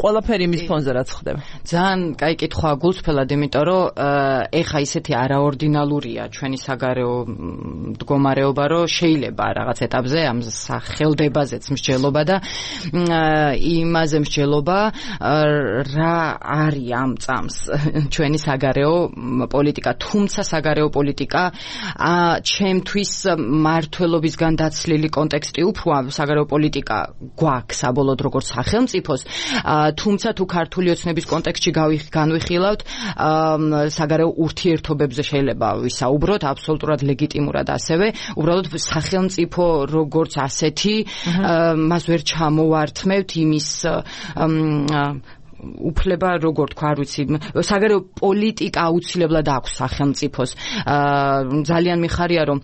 ყველაფერი მის ფონზე რაც ხდება. ძალიან კაი კითხვა გულწრფელად, იმიტომ რომ ეხა ისეთი არაორდინალურია ჩვენი საგარეო მდგომარეობა, რომ შეიძლება რაღაც ეტაპზე ამ სახელდებაზეც მსჯელობა და იმაზე მსჯელობა რა არის ამ წამს ჩვენი საგარეო პოლიტიკა, თუმცა საგარეო პოლიტიკა ჩემთვის მართლობისგან დაცლილი კონტექსტი უფრო საგარეო პოლიტიკა გვაქვს საბოლოოდ როგორც სახელმწიფოს, თუმცა თუ ქართული ოცნების კონტექსტში განვიხილავთ, საგარეო ურთიერთობებზე შეიძლება ვისაუბროთ აბსოლუტურად ლეგიტიმურად ასევე, უბრალოდ სახელმწიფო როგორც ასეთი მას ვერ ჩამოვართმევთ იმის უფლება, როგორ თქვა, არ ვიცი, საგარეო პოლიტიკა აუცილებლად აქვს სახელმწიფოს. ძალიან მიხარია რომ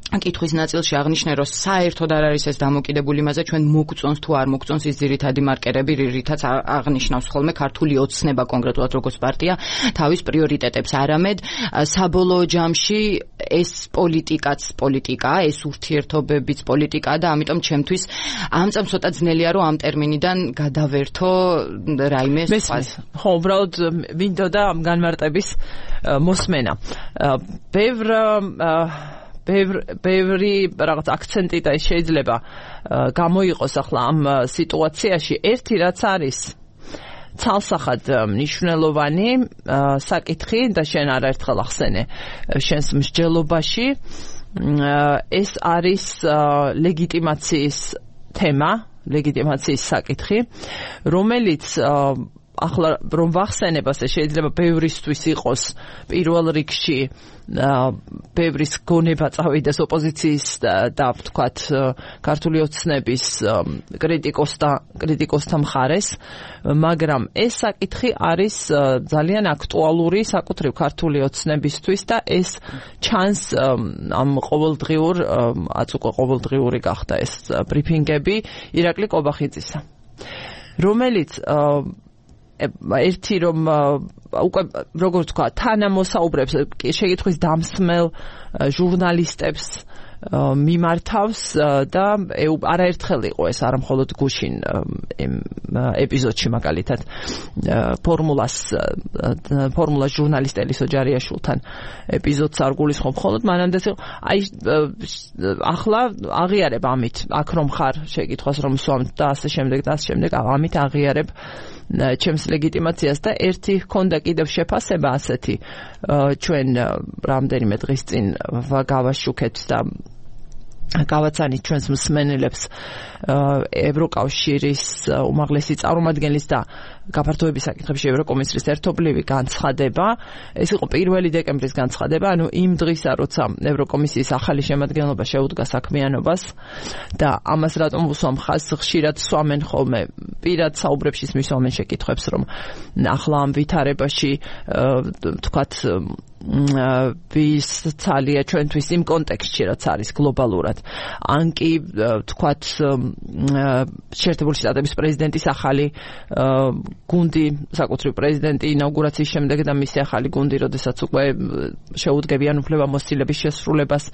კითხვის ნაწილში აღნიშნე, რომ საერთოდ არ არის ეს დამოკიდებული იმაზე, ჩვენ მოგწონს თუ არ მოგწონს ის ძირითადი მარკერები, რითაც აღნიშნავს ხოლმე ქართული ოცნება კონკრეტულად როგორც პარტია თავის პრიორიტეტებს, არამედ საბოლოო ჯამში ეს პოლიტიკაც პოლიტიკაა, ეს ურთიერთობებიც პოლიტიკაა და ამიტომ ჩემთვის ამ წამ ცოტა ძნელია რომ ამ ტერმინიდან გადავერთო რაიმე სხვას. ხო, უბრალოდ მინდოდა ამ განმარტების მოსმენა. ბევრ ბევრი რაღაც აქცენტი და შეიძლება გამოიყოს ახლა ამ სიტუაციაში. ერთი რაც არის ცალსახად მნიშვნელოვანი საკითხი და შენ არაერთხელ ახსენე შენს მსჯელობაში, ეს არის ლეგიტიმაციის თემა, ლეგიტიმაციის საკითხი, რომელიც ახლა რომ ვახსენებ, ასე შეიძლება ბევრისთვის იყოს პირველ რიგში ბევრის გონება წავიდეს ოპოზიციის და ვთქვათ ქართული ოცნების კრიტიკოსთა კრიტიკოსთა მხარეს, მაგრამ ეს საკითხი არის ძალიან აქტუალური საკუთრივ ქართული ოცნებისთვის და ეს ჩანს ამ ყოველდღიურ აც უკვე ყოველდღიური გახდა ეს ბრიფინგები ირაკლი კობახიძისა, რომელიც ერთი რომ უკვე როგორ თქვა თანამოსაუბრებს შეკითხვის დამსმელ ჟურნალისტებს მიმართავს და არაერთხელ იყო ეს არა მხოლოდ გუშინ ეპიზოდში მაგალითად ფორმულას ფორმულას ჟურნალისტ ელისო ჯარიაშვილთან ეპიზოდს არ გულისხმობ მხოლოდ მანამდე აი ახლა აღიარებ ამით აქ რომ ხარ შეკითხვას რომ სვამთ და ასე შემდეგ და ასე შემდეგ ამით აღიარებ ჩემს ლეგიტიმაციას და ერთი ჰქონდა კიდევ შეფასება ასეთი ჩვენ რამდენიმე დღის წინ გავაშუქეთ და გავაცანით ჩვენს მსმენელებს ევროკავშირის უმაღლესი წარმომადგენლის და გაფართოების საკითხებში ევროკომისრის ერთობლივი განცხადება. ეს იყო პირველი დეკემბრის განცხადება, ანუ იმ დღისა, როცა ევროკომისიის ახალი შემადგენლობა შეუდგა საქმიანობას და ამას რატომ ვუსვამ ხაზს, ხშირად swamენ ხოლმე პირად საუბრებში მისვამენ შეკითხვებს, რომ ახლა ამ ვითარებაში თქვათ ვის ცალია ჩვენთვის იმ კონტექსტში, რაც არის გლობალურად. ან კი თქვათ შეერთებული შტატების პრეზიდენტის ახალი გუნდი, საკუთრივ პრეზიდენტი ინაუგურაციის შემდეგ და მისი ახალი გუნდი, როდესაც უკვე შეუდგებიან უფლებამოსილების შესრულებას,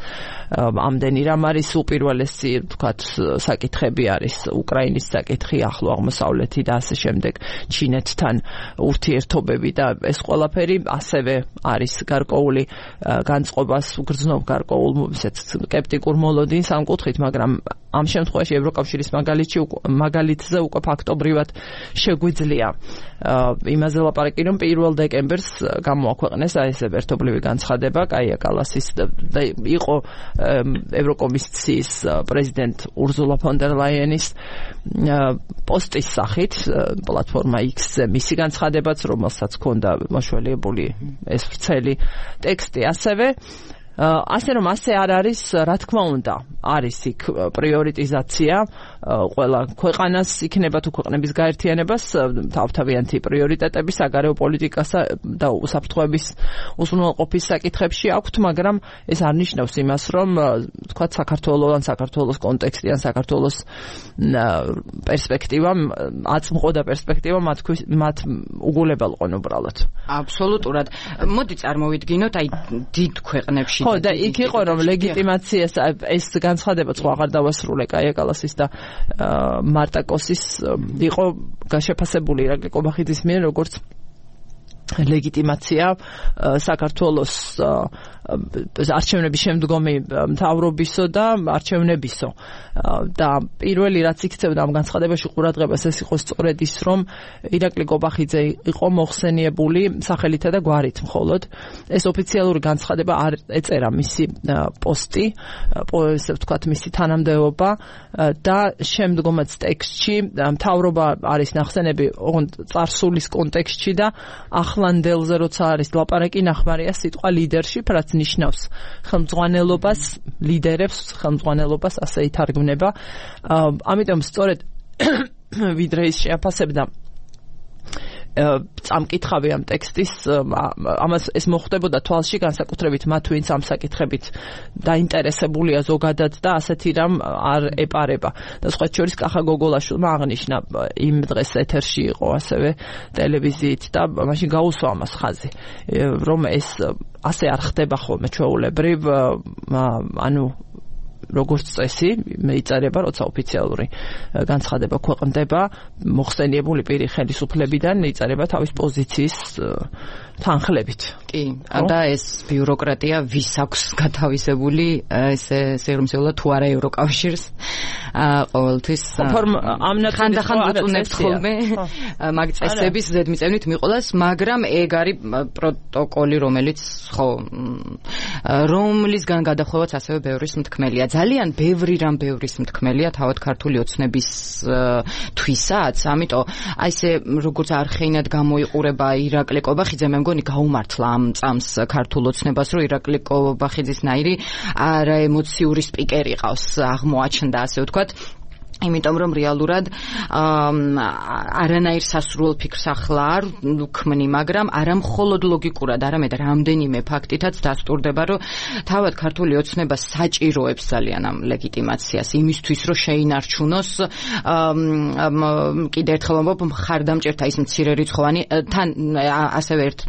ამდენი რამ არის უპირველესი, თქვათ, საკითხები არის უკრაინის საკითხი, ახლო აღმოსავლეთი და ასე შემდეგ, ჩინეთთან ურთიერთობები და ეს ყველაფერი ასევე არის გარკვეული განწყობას უგრძნობს გარკვეულ ისეთ სკეპტიკურ მოლოდინს ამ კუთხით, მაგრამ ამ შემთხვევაში ევროკავშირის მაგალითში მაგალითზე უკვე ფაქტობრივად შეგვიძლია იმაზე ლაპარაკი, რომ პირველ დეკემბერს გამოაქვეყნეს აი ეს ერთობლივი განცხადება კაია კალასის და იყო ევროკომისიის პრეზიდენტ ურზულა ფონ დერ ლაიენის პოსტის სახით პლატფორმა X-ზე მისი განცხადებაც, რომელსაც ჰქონდა მოშველიებული ეს ვრცელი ტექსტი ასევე ასე რომ ასე არ არის, რა თქმა უნდა, არის იქ პრიორიტიზაცია, ყველა ქვეყანას იქნება თუ ქვეყნების გაერთიანებას თავთავიანთი პრიორიტეტები საგარეო პოლიტიკასა და უსაფრთხოების უზრუნველყოფის საკითხებში აქვთ, მაგრამ ეს არ ნიშნავს იმას, რომ თქვათ საქართველოს ან საქართველოს კონტექსტი ან საქართველოს პერსპექტივა, აწმყო და პერსპექტივა მათ უგულებელყონ უბრალოდ. აბსოლუტურად. მოდი წარმოვიდგინოთ აი დიდ ქვეყნებში ხო და იქ იყო რომ ლეგიტიმაციას ეს განცხადება სხვა აღარ დავასრულე კაია კალასის და მარტაკოსის იყო გაშეფასებული ირაკლი კობახიძის მიერ როგორც ლეგიტიმაცია საქართველოს არჩევნების შემდგომი მთავრობისო და არჩევნებისო და პირველი რაც იქცევდა ამ განცხადებაში ყურადღებას ეს იყო სწორედ ის, რომ ირაკლი კობახიძე იყო მოხსენიებული სახელითა და გვარით მხოლოდ. ეს ოფიციალური განცხადება არ ეწერა მისი პოსტი, ესე ვთქვათ, მისი თანამდებობა და შემდგომაც ტექსტში მთავრობა არის ნახსენები წარსულის კონტექსტში და ახლანდელზე როცა არის ლაპარაკი ნახმარია სიტყვა leadership, რაც ნიშნავს ხელმძღვანელობას, ლიდერებს, ხელმძღვანელობას, ასე ითარგმნება. ამიტომ სწორედ ვიდრე ის შეაფასებდა წამკითხავი ამ ტექსტის, ამას ეს მოხდებოდა თვალში განსაკუთრებით მათ, ვინც ამ საკითხებით დაინტერესებულია ზოგადად და ასეთი რამ არ ეპარება. და სხვა შორის კახა გოგოლაშვილმა აღნიშნა იმ დღეს ეთერში იყო ასევე ტელევიზიით და მაშინ გაუსვა ამას ხაზი, რომ ეს ასე არ ხდება ხოლმე ჩვეულებრივ, ანუ როგორც წესი მეიწერება, როცა ოფიციალური განცხადება ქვეყნდება, მოხსენიებული პირი ხელისუფლებიდან მეიწერება თავის პოზიციის თანხლებით. კი, და ეს ბიუროკრატია ვის აქვს გათავისებული, ესე სერმსეულად თუ არა ევროკავშირს ყოველთვის ხანდახან უწუნებთ ხოლმე მაგ წესების ზედმიწევნით მიყოლას, მაგრამ ეგ არის პროტოკოლი, რომელიც ხო რომლისგან გადახვევაც ასევე ბევრის მთქმელია. ძალიან ბევრი რამ ბევრის მთქმელია თავად ქართული ოცნების თვისაც, ამიტომ აი ესე როგორც არხეინად გამოიყურება ირაკლი კობახიძე, მე მგონი გაუმართლა ამ წამს ქართულ ოცნებას, რომ ირაკლი კობახიძის ნაირი არაემოციური სპიკერი ყავს, აღმოაჩნდა ასე ვთქვათ. იმიტომ რომ რეალურად არანაირ სასურველ ფიქრს ახლა არ ვქმნი, მაგრამ არა მხოლოდ ლოგიკურად, არამედ რამდენიმე ფაქტითაც დასტურდება, რომ თავად ქართული ოცნება საჭიროებს ძალიან ამ ლეგიტიმაციას იმისთვის, რომ შეინარჩუნოს კიდევ ერთხელ ვამბობ, მხარდამჭერთა ის მცირერიცხოვანი, თან ასევე ერთ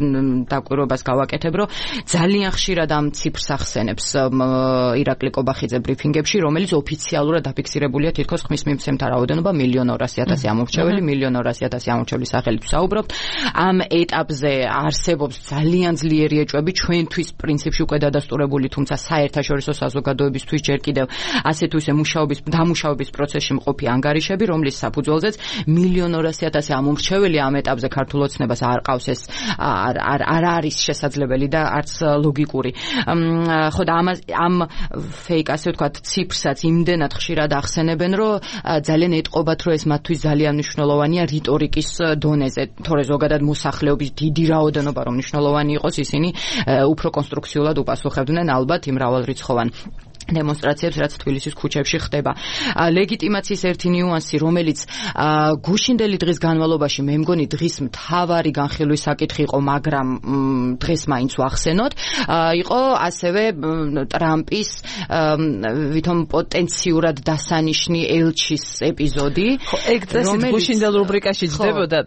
დაკვირვებას გავაკეთებ, რომ ძალიან ხშირად ამ ციფრს ახსენებს ირაკლი კობახიძე ბრიფინგებში, რომელიც ოფიციალურად დაფიქსირებულია თითქოს ხმის მიმცემთა რაოდენობა მილიონ ორასი ათასი ამორჩეველი, მილიონ ორასი ათასი ამორჩევლის სახელით ვსაუბრობთ. ამ ეტაპზე არსებობს ძალიან ძლიერი ეჭვები, ჩვენთვის პრინციპში უკვე დადასტურებული, თუმცა საერთაშორისო საზოგადოებისთვის ჯერ კიდევ ასე თუ ისე მუშაობის დამუშავების პროცესში მყოფი ანგარიშები, რომლის საფუძველზეც მილიონ ორასი ათასი ამორჩეველი ამ ეტაპზე ქართულ ოცნებას არ ყავს, ეს არ არ არ არის შესაძლებელი და არც ლოგიკური. ხო და ამ ამ ფეიკ ასე ვთქვათ ციფრსაც იმდენად ხშირად ახსენებენ, რომ ძალიან ეტყობათ, რომ ეს მათთვის ძალიან მნიშვნელოვანია რიტორიკის დონეზე, თორე ზოგადად მოსახლეობის დიდი რაოდენობა რომ მნიშვნელოვანი იყოს, ისინი უფრო კონსტრუქციულად უპასუხებდნენ ალბათ იმ მრავალრიცხოვან დემონსტრაციებს, რაც თბილისის ქუჩებში ხდება. ლეგიტიმაციის ერთი ნიუანსი, რომელიც გუშინდელი დღის განმავლობაში მე მგონი დღის მთავარი განხილვის საკითხი იყო, მაგრამ დღეს მაინც ვახსენოთ, იყო ასევე ტრამპის ვითომ პოტენციურად დასანიშნი ელჩის ეპიზოდი. ხო, ეგ წესით გუშინდელ რუბრიკაში ჯდებოდა,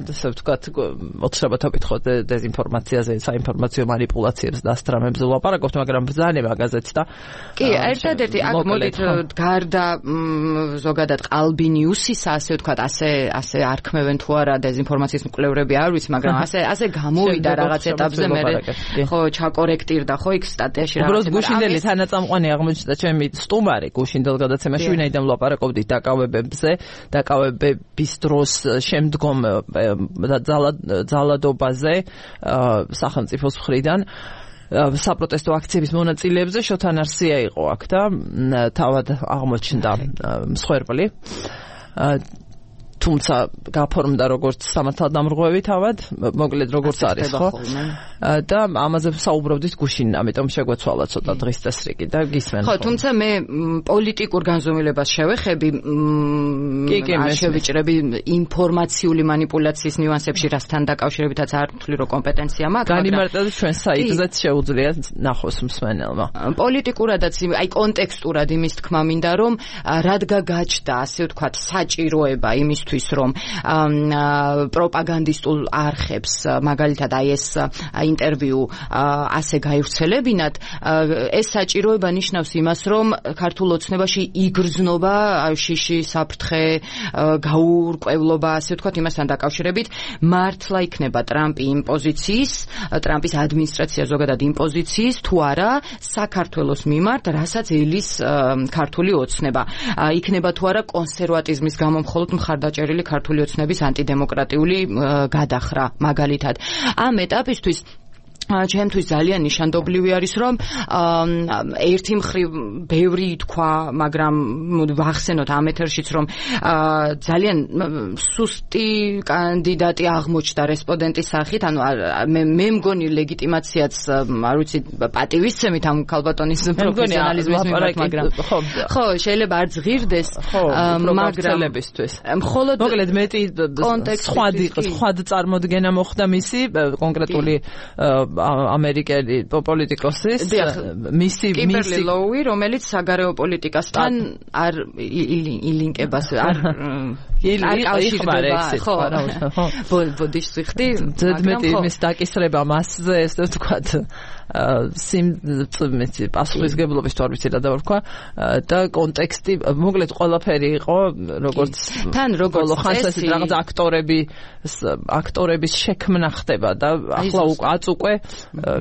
ასე ვთქვათ, ოცნებათობით ხო დეზინფორმაციაზე, საინფორმაციო манипуляციებს და ასტრამებზე ვლაპარაკობთ, მაგრამ ბრძანება გაზეთს და კი, ერთადერთი აქ მოდით გარდა ზოგადად ყალბი ნიუსისა, ასე ვთქვათ, ასე ასე არქმევენ თუ არა დეზინფორმაციის მკვლევრები, არ ვიცი, მაგრამ ასე ასე გამოვიდა რაღაც ეტაპზე მე ხო ჩაკორექტირდა ხო იქ სტატიაში რაღაც. უბრალოდ გუშინდელი თანაწამყვანი აღმოჩნდა ჩემი სტუმარი გუშინდელ გადაცემაში, ვინაიდან ვლაპარაკობდით დაკავებებზე, დაკავებების დროს შემდგომ ძალადობაზე სახელმწიფოს მხრიდან საპროტესტო აქციების მონაწილეებზე შოთან არსია იყო აქ და თავად აღმოჩნდა მსხვერპლი. თუმცა გაფორმდა როგორც სამართალდამრღვევი თავად, მოკლედ როგორც არის ხო? და ამაზე ვსაუბრობდით გუშინ, ამიტომ შეგვეცვალა ცოტა დღის წესრიგი და გისმენ. ხო, თუმცა მე პოლიტიკურ განზომილებას შევეხები, არ შევიჭრები ინფორმაციული манипуляციის ნიუანსებში, რასთან დაკავშირებითაც არ ვთვლი, რომ კომპეტენცია მაქვს, მაგრამ განიმარტებთ ჩვენ საიტზეც შეუძლიათ ნახოს მსმენელმა. პოლიტიკურადაც, აი კონტექსტურად იმის თქმა მინდა, რომ რადგან გაჩნდა, ასე ვთქვათ, საჭიროება იმის რომ პროპაგანდისტულ არხებს მაგალითად აი ეს ინტერვიუ ასე გაივრცელებინათ, ეს საჭიროება ნიშნავს იმას, რომ ქართულ ოცნებაში იგრძნობა შიში, საფრთხე, გაურკვევლობა, ასე ვთქვათ, იმასთან დაკავშირებით მართლა იქნება ტრამპი იმ პოზიციის, ტრამპის ადმინისტრაცია ზოგადად იმ პოზიციის თუ არა საქართველოს მიმართ, რასაც ელის ქართული ოცნება. იქნება თუ არა კონსერვატიზმის გამო მხოლოდ მხარდაჭერა წერილი ქართული ოცნების ანტიდემოკრატიული გადახრა მაგალითად. ამ ეტაპისთვის ჩემთვის ძალიან ნიშანდობლივი არის, რომ ერთი მხრივ ბევრი თქვა, მაგრამ ვახსენოთ ამ ეთერშიც, რომ ძალიან სუსტი კანდიდატი აღმოჩნდა რესპონდენტის სახით, ანუ მე მე მგონი ლეგიტიმაციაც, არ ვიცი, პატივისცემით ამ ქალბატონის პროფესიონალიზმის მიმართ, მაგრამ ხო, შეიძლება არ ზღირდეს, მაგრამ მხოლოდ მოკლედ მეტი სხვა სხვა წარმოდგენა მოხდა მისი კონკრეტული ამერიკელი პოლიტიკოსის მისი კიმბერლი ლოუი, რომელიც საგარეო პოლიტიკასთან არ ილინკებას არ იკავშირდება, ხო, ბოდიშს ვიხდი, ზედმეტი იმის დაკისრება მასზე, ესე ვთქვათ, სიმწმეცი პასუხისგებლობის თუ არ ვიცი რა დავარქვა და კონტექსტი, მოკლედ ყველაფერი იყო, როგორც თან როგორც ხანს რაღაც აქტორები აქტორების შექმნა ხდება და ახლა აწ უკვე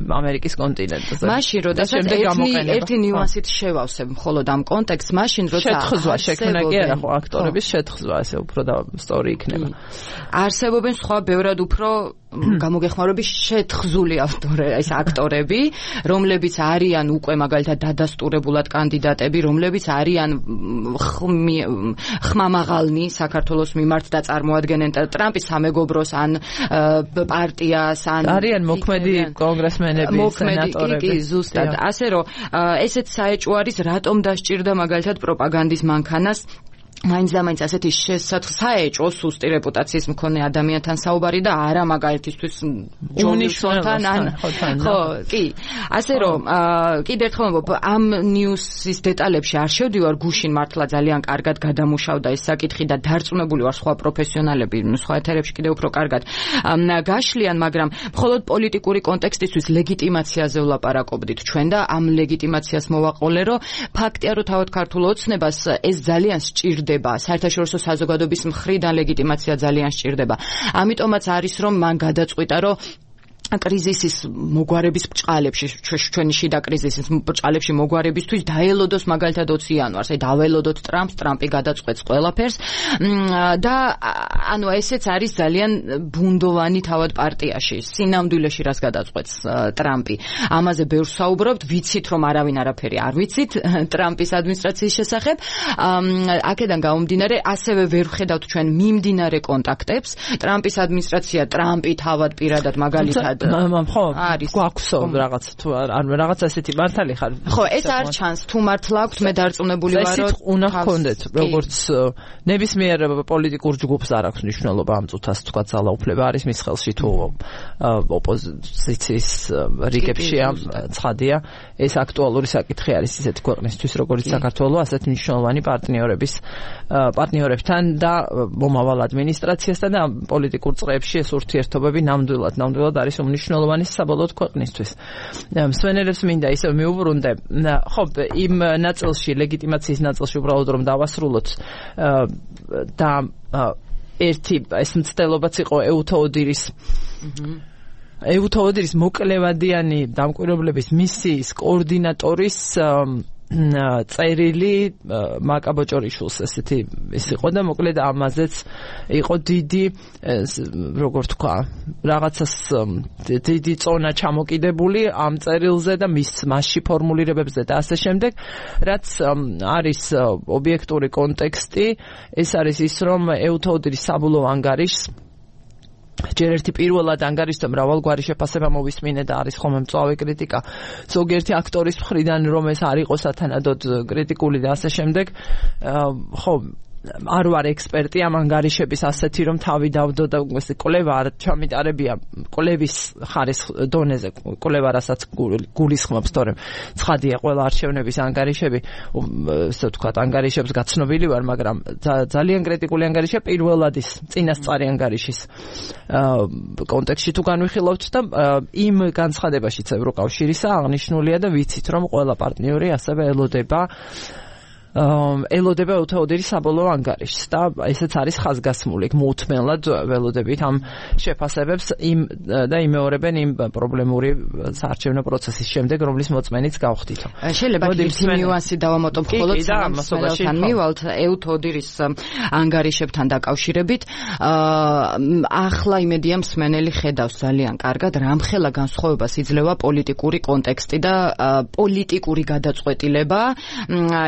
ამერიკის კონტინენტზე. მაშინ როდესაც ერთი ერთი ნიუანსით შევავსებ მხოლოდ ამ კონტექსტს, მაშინ როცა შეთხზვა შექმნა კი არა ხო, აქტორების შეთხზვა, ესე უფრო და სტორი იქნება. არსებობენ სხვა ბევრად უფრო გამოგეხმარების შეთხზული ავტორები, ეს აქტორები, რომლებიც არიან უკვე მაგალითად დადასტურებულად კანდიდატები, რომლებიც არიან ხმამაღალნი საქართველოს მიმართ და წარმოადგენენ ტრამპის სამეგობროს ან პარტიას, ან არიან მოქმედი კონგრესმენები, სენატორები. კი, ზუსტად. ასე რომ ესეც საეჭვო არის, რატომ დასჭირდა მაგალითად პროპაგანდის მანქანას მაინც და მაინც ასეთი საეჭვო სუსტი რეპუტაციის მქონე ადამიანთან საუბარი და არა მაგალითისთვის ჯონიშონთან ან ხო, კი. ასე რომ კიდევ ერთხელ ვამბობ, ამ ნიუსის დეტალებში არ შევდივარ, გუშინ მართლა ძალიან კარგად გადამუშავდა ეს საკითხი და დარწმუნებული ვარ სხვა პროფესიონალები სხვა ეთერებში კიდევ უფრო კარგად გაშლიან, მაგრამ მხოლოდ პოლიტიკური კონტექსტისთვის ლეგიტიმაციაზე ვლაპარაკობდით ჩვენ და ამ ლეგიტიმაციას მოვაყოლე, რომ ფაქტია, რომ თავად ქართულ ოცნებას ეს ძალიან სჭირდა სჭირდება, საერთაშორისო საზოგადოების მხრიდან ლეგიტიმაცია ძალიან სჭირდება. ამიტომაც არის რომ მან გადაწყვიტა რომ კრიზისის მოგვარების ბჭყალებში, ჩვენი შიდა კრიზისის ბჭყალებში მოგვარებისთვის დაელოდოს მაგალითად ოცი იანვარს, აი დაველოდოთ ტრამპს, ტრამპი გადაწყვეტს ყველაფერს და ანუ ესეც არის ძალიან ბუნდოვანი თავად პარტიაში, სინამდვილეში რას გადაწყვეტს ტრამპი. ამაზე ბევრს საუბრობთ, ვიცით რომ არავინ არაფერი არ ვიცით ტრამპის ადმინისტრაციის შესახებ. აქედან გამომდინარე, ასევე ვერ ვხედავთ ჩვენ მიმდინარე კონტაქტებს. ტრამპის ადმინისტრაცია, ტრამპი თავად პირადად მაგალითად მამ ხო გვაქვსო რაღაც თუ არ რაღაცა ესეთი მართალი ხარ ხო ეს არ ჩანს თუ მართლა აქვს მე დარწმუნებული ვარ რომ ეს უნდა გქონდეთ როგორც ნებისმიერ პოლიტიკურ ჯგუფს არ აქვს მნიშვნელობა ამ წუთას თქვა ძალაუფლება არის მის ხელში თუ ოპოზიციის რიგებში ამ ცხადია ეს აქტუალური საკითხი არის ისეთი ქვეყნისთვის როგორც საქართველო ასეთ მნიშვნელოვანი პარტნიორების პარტნიორებთან და მომავალ ადმინისტრაციასთან და პოლიტიკურ წრეებში ეს ურთიერთობები ნამდვილად ნამდვილად არის მნიშვნელოვანი საბოლოოდ ქვეყნისთვის. მსვენელებს მინდა ისევ მიუბრუნდე. ხო, იმ ნაწილში, ლეგიტიმაციის ნაწილში უბრალოდ რომ დავასრულოთ და ერთი ეს მცდელობაც იყო ეუთოოდირის ეუთოოდირის მოკლევადიანი დამკვირვებლების მისიის კოორდინატორის წერილი მაკაბოჭორიშვილს ესეთი ის იყო და მოკლედ ამაზეც იყო დიდი როგორ თქვა რაღაცას დიდი წონა ჩამოკიდებული ამ წერილზე და მის მასში ფორმულირებებზე და ასე შემდეგ რაც არის ობიექტური კონტექსტი ეს არის ის რომ ეუთოოდირის საბოლოო ანგარიშს ჯერ ერთი პირველად ანგარიშთა მრავალგვარი შეფასება მოვისმინე და არის ხოლმე მწვავე კრიტიკა ზოგიერთი აქტორის მხრიდან რომ ეს არ იყო სათანადოდ კრიტიკული და ასე შემდეგ ხო არ ვარ ექსპერტი ამ ანგარიშების ასეთი რომ თავი დავდო და ეს კვლევა არ ჩამიტარებია კვლევის ხარის დონეზე კვლევა რასაც გულისხმობს თორემ ცხადია ყველა არჩევნების ანგარიშები ესე ვთქვათ ანგარიშებს გაცნობილი ვარ მაგრამ ძალიან კრიტიკული ანგარიშია პირველად ის წინასწარი ანგარიშის კონტექსტში თუ განვიხილავთ და იმ განცხადებაშიც ევროკავშირისა აღნიშნულია და ვიცით რომ ყველა პარტნიორი ასევე ელოდება ელოდება ეუთოოდირის საბოლოო ანგარიშს და ესეც არის ხაზგასმული მოუთმენლად ველოდებით ამ შეფასებებს იმ და იმეორებენ იმ პრობლემური საარჩევნო პროცესის შემდეგ რომლის მოწმენიც გავხდით. შეიძლება ერთი ნიუანსი დავამატო მხოლოდ სამასობაში მივალთ ეუთოოდირის ანგარიშებთან დაკავშირებით ახლა იმედია მსმენელი ხედავს ძალიან კარგად რამხელა განსხვავებას იძლევა პოლიტიკური კონტექსტი და პოლიტიკური გადაწყვეტილება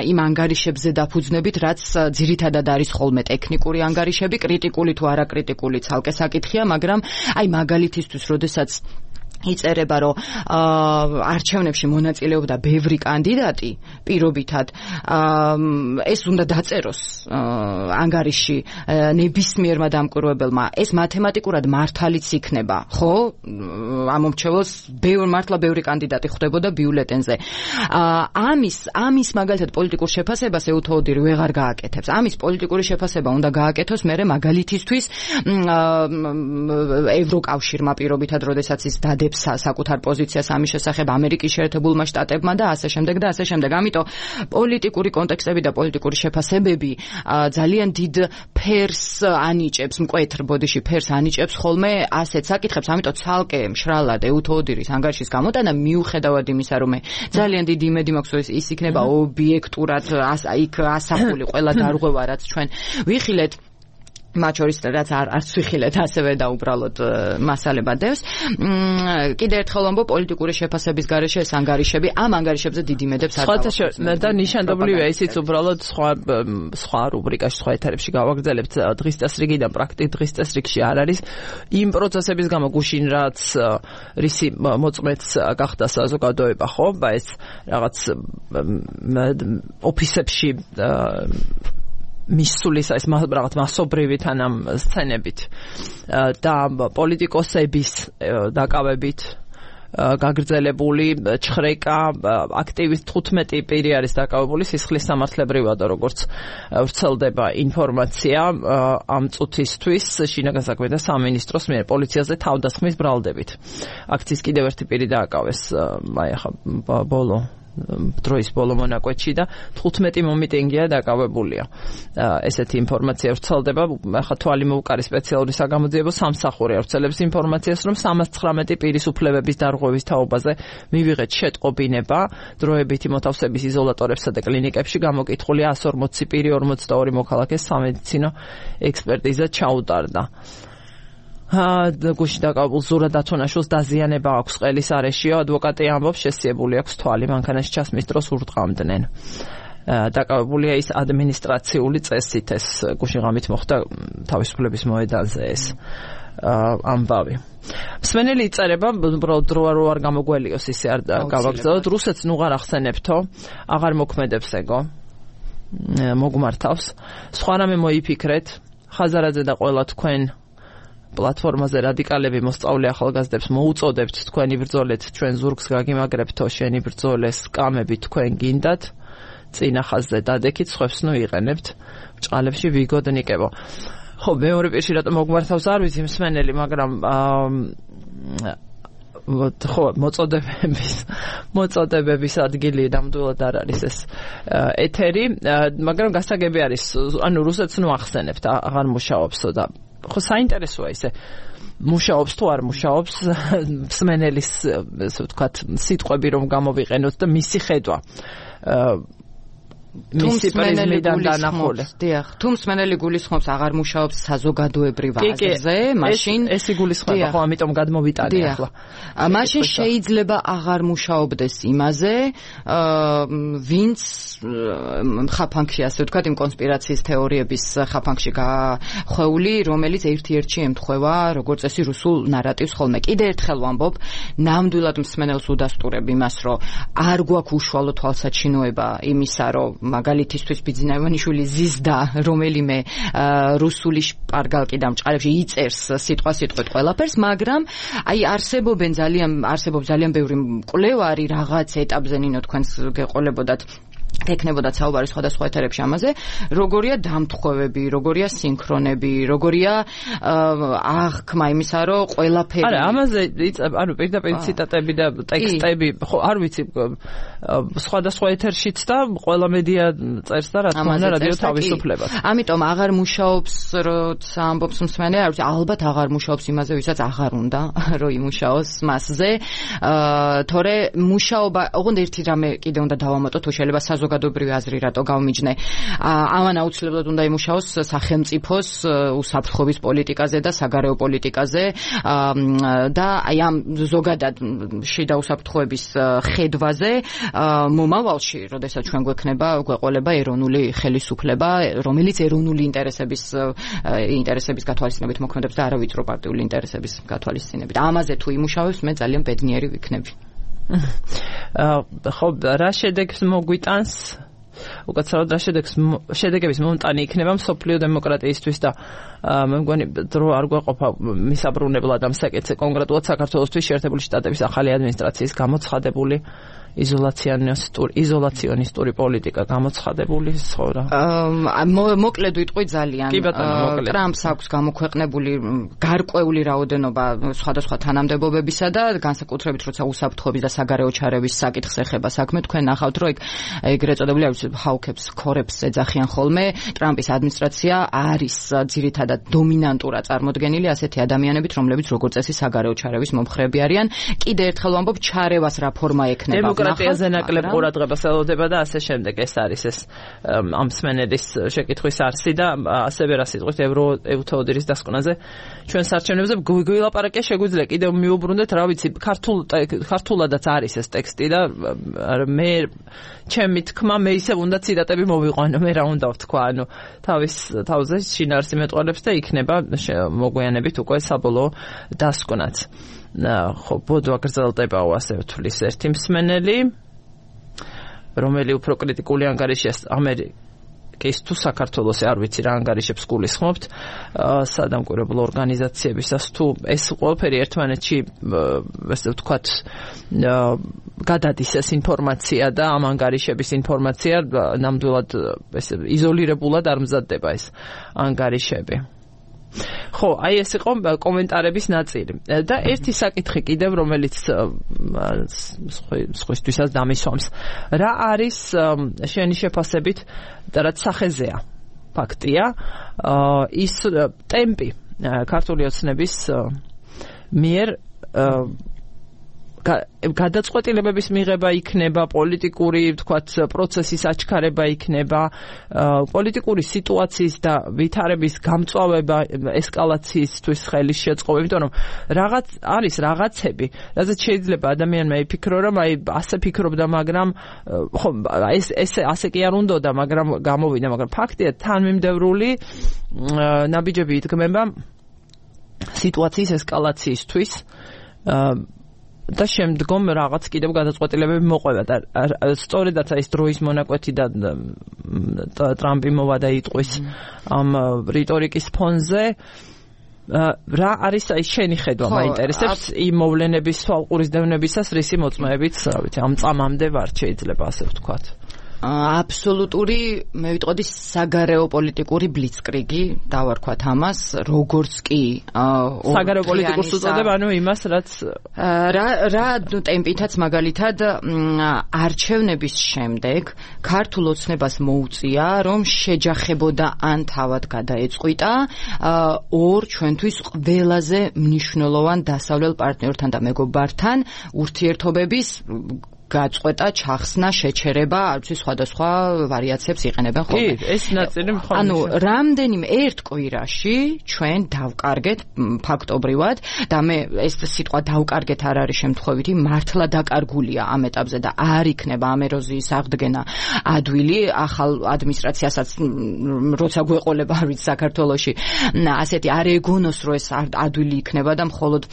იმ ანგარიშებში ანგარიშებზე დაფუძნებით, რაც ძირითადად არის ხოლმე ტექნიკური ანგარიშები, კრიტიკული თუ არაკრიტიკული ცალკე საკითხია, მაგრამ აი მაგალითისთვის, როდესაც იწერება, რომ არჩევნებში მონაწილეობდა ბევრი კანდიდატი, პირობითად ეს უნდა დაწეროს ანგარიში ნებისმიერმა დამკვირვებელმა. ეს მათემატიკურად მართალიც იქნება, ხო? ამომრჩევლს ბევრი მართლა ბევრი კანდიდატი ხვდებოდა ბიულეტენზე. ამის ამის მაგალითად პოლიტიკურ შეფასებას ეუთოოდირი ვეღარ გააკეთებს. ამის პოლიტიკური შეფასება უნდა გააკეთოს მერე მაგალითისთვის ევროკავშირმა პირობითად, როდესაც ის დადებს საკუთარ პოზიციას ამის შესახებ ამერიკის შეერთებულმა შტატებმა და ასე შემდეგ და ასე შემდეგ. ამიტომ პოლიტიკური კონტექსტები და პოლიტიკური შეფასებები ძალიან დიდ ფერს ანიჭებს, მკვეთრ ბოდიში ფერს ანიჭებს ხოლმე ასეთ საკითხებს. ამიტომ ცალკე მშრალად ეუთოოდირის ანგარიშის გამოტანა მიუხედავად იმისა, რომ ძალიან დიდი იმედი მაქვს, რომ ის იქნება ობიექტურად იქ ასახული ყველა დარღვევა, რაც ჩვენ ვიხილეთ მათ შორის რაც არც ვიხილეთ ასევე და უბრალოდ მასალებად დევს. კიდე ერთხელ ვამბობ პოლიტიკური შეფასების გარეშე ეს ანგარიშები ამ ანგარიშებზე დიდი იმედებს არ აქვს. და ნიშანდობლივია ისიც უბრალოდ სხვა სხვა რუბრიკაში სხვა ეთერებში გავაგრძელებთ დღის წესრიგიდან პრაქტიკ დღის წესრიგში არ არის იმ პროცესების გამო გუშინ რაც რისი მოწმეც გახდა საზოგადოება ხო და ეს რაღაც ოფისებში მისulis ეს რაღაც მასობრივით ან ამ სცენებით და პოლიტიკოსების დაკავებით გაგრძელებული ჩხრეკა აქტივის თხუთმეტი პირი არის დაკავებული სისხლის სამართლებრივად როგორც ვრცელდება ინფორმაცია ამ წუთისთვის შინაგან საქმეთა სამინისტროს მიერ პოლიციაზე თავდასხმის ბრალდებით. აქციის კიდევ ერთი პირი დააკავეს აი ახლა ბოლო დროის ბოლო მონაკვეთში და თხუთმეტი მომიტინგია დაკავებულია. ესეთი ინფორმაცია ვრცელდება, ახლა თვალი მოუკარი სპეციალური საგამოძიებო სამსახური ავრცელებს ინფორმაციას, რომ სამას ცხრამეტი პირის უფლებების დარღვევის თაობაზე მივიღეთ შეტყობინება, დროებითი მოთავსების იზოლატორებსა და კლინიკებში გამოკითხულია εκατს ორმოცი პირი, ორმოცდაორი მოქალაქეს სამედიცინო ექსპერტიზა ჩაუტარდა. გუშინ დაკავებულ ზურა დათონაშვილს დაზიანება აქვს ყელის არეშიო, ადვოკატი ამბობს შესიებული აქვს თვალი, მანქანაში ჩასმის დროს ურტყამდნენ. დაკავებულია ის ადმინისტრაციული წესით, ეს გუშინ ღამით მოხდა თავისუფლების მოედანზე ეს ამბავი. მსმენელი იწერება, დრო არ გამოგველიოს ისე არ გავაგზავნოთ, რუსეთს ნუღარ ახსენებთო, აღარ მოქმედებს ეგო, მოგმართავს. სხვა რამე მოიფიქრეთ, ხაზარაძე და ყველა თქვენ პლატფორმაზე რადიკალები მოსწავლე ახალგაზრდებს მოუწოდებთ თქვენი ბრძოლეთ, ჩვენ ზურგს გაგიმაგრებთო, შენი ბრძოლეს სკამები თქვენ გინდათ, წინა ხაზზე დადექით, სხვებს ნუ იყენებთ, ბჭყალებში ვიგოდნიკებო. ხო, მეორე პირში რატომ მოგმართავს არ ვიცი მსმენელი, მაგრამ ხო, მოწოდებების მოწოდებების ადგილი ნამდვილად არ არის ეს ეთერი, მაგრამ გასაგები არის, ანუ რუსეთს ნუ ახსენებთ, აღარ მუშაობსო და ხო საინტერესოა ისე მუშაობს თუ არ მუშაობს მსმენელის ესე ვთქვათ სიტყვები რომ გამოვიყენოთ და მისი ხედვა მისი პრიზმიდან დანახული. დიახ, თუ მსმენელი გულისხმობს აღარ მუშაობს საზოგადოებრივ აზრზე, მაშინ ეს იგულისხმება, ხო, ამიტომ გადმოვიტანე ახლა. მაშინ შეიძლება აღარ მუშაობდეს იმაზე, ვინც ხაფანგში, ასე ვთქვათ, იმ კონსპირაციის თეორიების ხაფანგში გახვეული, რომელიც ერთ-ერთში ემთხვევა, როგორც წესი, რუსულ ნარატივს ხოლმე. კიდე ერთხელ ვამბობ, ნამდვილად მსმენელს უდასტურებ იმას, რომ არ გვაქვს უშუალო თვალსაჩინოება იმისა, რომ მაგალითისთვის ბიძინა ივანიშვილი ზიზდა რომელიმე რუსული შპარგალკი და მჭყალებში იწერს სიტყვა-სიტყვით ყველაფერს, მაგრამ აი არსებობენ ძალიან არსებობს ძალიან ბევრი მკვლევარი რაღაც ეტაპზე ნინო თქვენს გეყოლებოდათ ეკნებოდათ საუბარი სხვადასხვა ეთერებში ამაზე, როგორია დამთხოვები, როგორია სინქრონები, როგორია აღქმა იმისა, რომ ყველაფერი. არა, ამაზე ანუ პირდაპირ ციტატები და ტექსტები, ხო, არ ვიცი, სხვადასხვა ეთერშიც და ყველა მედია წერს და რა თქმა უნდა რადიო თავისუფლებას. ამიტომ აღარ მუშაობს, როცა ამბობს მსმენელი, არ ვიცი, ალბათ აღარ მუშაობს იმაზე, ვისაც აღარ უნდა, რომ იმუშაოს მასზე. თორე მუშაობა, ოღონდ ერთი რამე კიდე უნდა დავამატო, თუ შეიძლება საზოგადოებრივი აზრი რატო გავმიჯნე. ამან აუცილებლად უნდა იმუშაოს სახელმწიფოს უსაფრთხოების პოლიტიკაზე და საგარეო პოლიტიკაზე და აი ამ ზოგადად შიდა უსაფრთხოების ხედვაზე მომავალში, როდესაც ჩვენ გვექნება გვეყოლება ეროვნული ხელისუფლება, რომელიც ეროვნული ინტერესების ინტერესების გათვალისწინებით მოქმედებს და არა ვიწრო პარტიული ინტერესების გათვალისწინებით. ამაზე თუ იმუშავებს, მე ძალიან ბედნიერი ვიქნები. ხო, რა შედეგს მოგვიტანს? უკაცრავად რა შედეგს შედეგების მომტანი იქნება მსოფლიო დემოკრატიისთვის და მე მგონი დრო არ გვეყოფა მისაბრუნებლად ამ საკითხზე, კონკრეტულად საქართველოსთვის შეერთებული შტატების ახალი ადმინისტრაციის გამოცხადებული იზოლაციონისტური იზოლაციონისტური პოლიტიკა გამოცხადებული ცხოვრა. მოკლედ ვიტყვი ძალიან. ტრამპს აქვს გამოქვეყნებული გარკვეული რაოდენობა სხვადასხვა თანამდებობებისა და განსაკუთრებით როცა უსაფრთხოების და საგარეო ჩარევის საკითხს ეხება საქმე, თქვენ ნახავთ, რომ ეგრეთ წოდებული არ ვიცი ჰაუქებს, ქორებს ეძახიან ხოლმე. ტრამპის ადმინისტრაცია არის ძირითადად დომინანტურად წარმოდგენილი ასეთი ადამიანებით, რომლებიც როგორც წესი საგარეო ჩარევის მომხრეები არიან. კიდე ერთხელ ვამბობ, ჩარევას რა ფორმა ექნება. დემოკრატიაზე ნაკლებ ყურადღებას ელოდება და ასე შემდეგ. ეს არის ეს ამ მსმენელის შეკითხვის არსი და ასევე რა სიტყვით ევროთეოდირის დასკვნაზე ჩვენ საარჩევნებზე გვილაპარაკე შეგვიძლია კიდევ მიუბრუნდეთ, რა ვიცი, ქართულ ქართულადაც არის ეს ტექსტი და მე ჩემი თქმა მე ისევ უნდა ციტატები მოვიყვანო, მე რა უნდა ვთქვა, ანუ თავის თავზე შინაარსი მეტყოლებს და იქნება მოგვიანებით უკვე საბოლოო დასკვნაც. ხო, ბოდო აგრძელდებაო, ასე ვთვლის ერთი მსმენელი, რომელი უფრო კრიტიკული ანგარიშია ამერიკის თუ საქართველოს, არ ვიცი რა ანგარიშებს გულისხმობთ სადამკვირვებლო ორგანიზაციებისას, თუ ეს ყველაფერი ერთმანეთში ესე ვთქვათ გადადის ეს ინფორმაცია და ამ ანგარიშების ინფორმაცია ნამდვილად ესე იზოლირებულად არ მზადდება ეს ანგარიშები. ხო, აი ეს იყო კომენტარების ნაწილი. და ერთი საკითხი კიდევ, რომელიც სხვისთვისაც დამისვამს. რა არის შენი შეფასებით და რაც სახეზეა? ფაქტია, ის ტემპი ქართული ოცნების მიერ გადაწყვეტილებების მიღება იქნება, პოლიტიკური, ვთქვათ, პროცესის აჩქარება იქნება, პოლიტიკური სიტუაციის და ვითარების გამწვავება ესკალაციისთვის ხელის შეწყობა, იმიტომ რომ რაღაც არის რაღაცები, რადგან შეიძლება ადამიანმა იფიქრო, რომ აი ასე ფიქრობდა, მაგრამ ხო, ეს ესე ასე კი არ უნდოდა, მაგრამ გამოვიდა, მაგრამ ფაქტია, თანმიმდევრული ნაბიჯები იდგმება სიტუაციის ესკალაციისთვის და შემდგომ რაღაც კიდევ გადაწყვეტილებები მოყვება და სწორედაც ეს დროის მონაკვეთი და ტრამპი მოვა და იტყვის ამ რიტორიკის ფონზე რა არის აი შენი ხედვა მაინტერესებს იმ მოვლენების თვალყურის დევნებისას რისი მოწმეებით რა ვიცი ამ წამამდე ვარ შეიძლება ასე ვთქვათ აბსოლუტური მე ვიტყოდი საგარეო პოლიტიკური ბლიცკრიგი დავარქვათ ამას როგორც კი საგარეო პოლიტიკურს უწოდებ ანუ იმას რაც რა რა ტემპითაც მაგალითად არჩევნების შემდეგ ქართულ ოცნებას მოუწია რომ შეჯახებოდა ან თავად გადაეწყვიტა ორ ჩვენთვის ყველაზე მნიშვნელოვან დასავლელ პარტნიორთან და მეგობართან ურთიერთობების გაწყვეტა, ჩახსნა, შეჩერება, არც სხვადასხვა ვარიაციებს იყენებენ ხოლმე. კი, ეს ნაწილი მხოლოდ. ანუ რამდენიმე ერთ კვირაში ჩვენ დავკარგეთ ფაქტობრივად და მე ეს სიტყვა დავკარგეთ არ არის შემთხვევითი, მართლა დაკარგულია ამ ეტაპზე და არ იქნება ამ ეროზიის აღდგენა ადვილი ახალ ადმინისტრაციასაც როცა გვეყოლება არ ვიცი საქართველოში. ასეთი არ ეგონოს რომ ეს ადვილი იქნება და მხოლოდ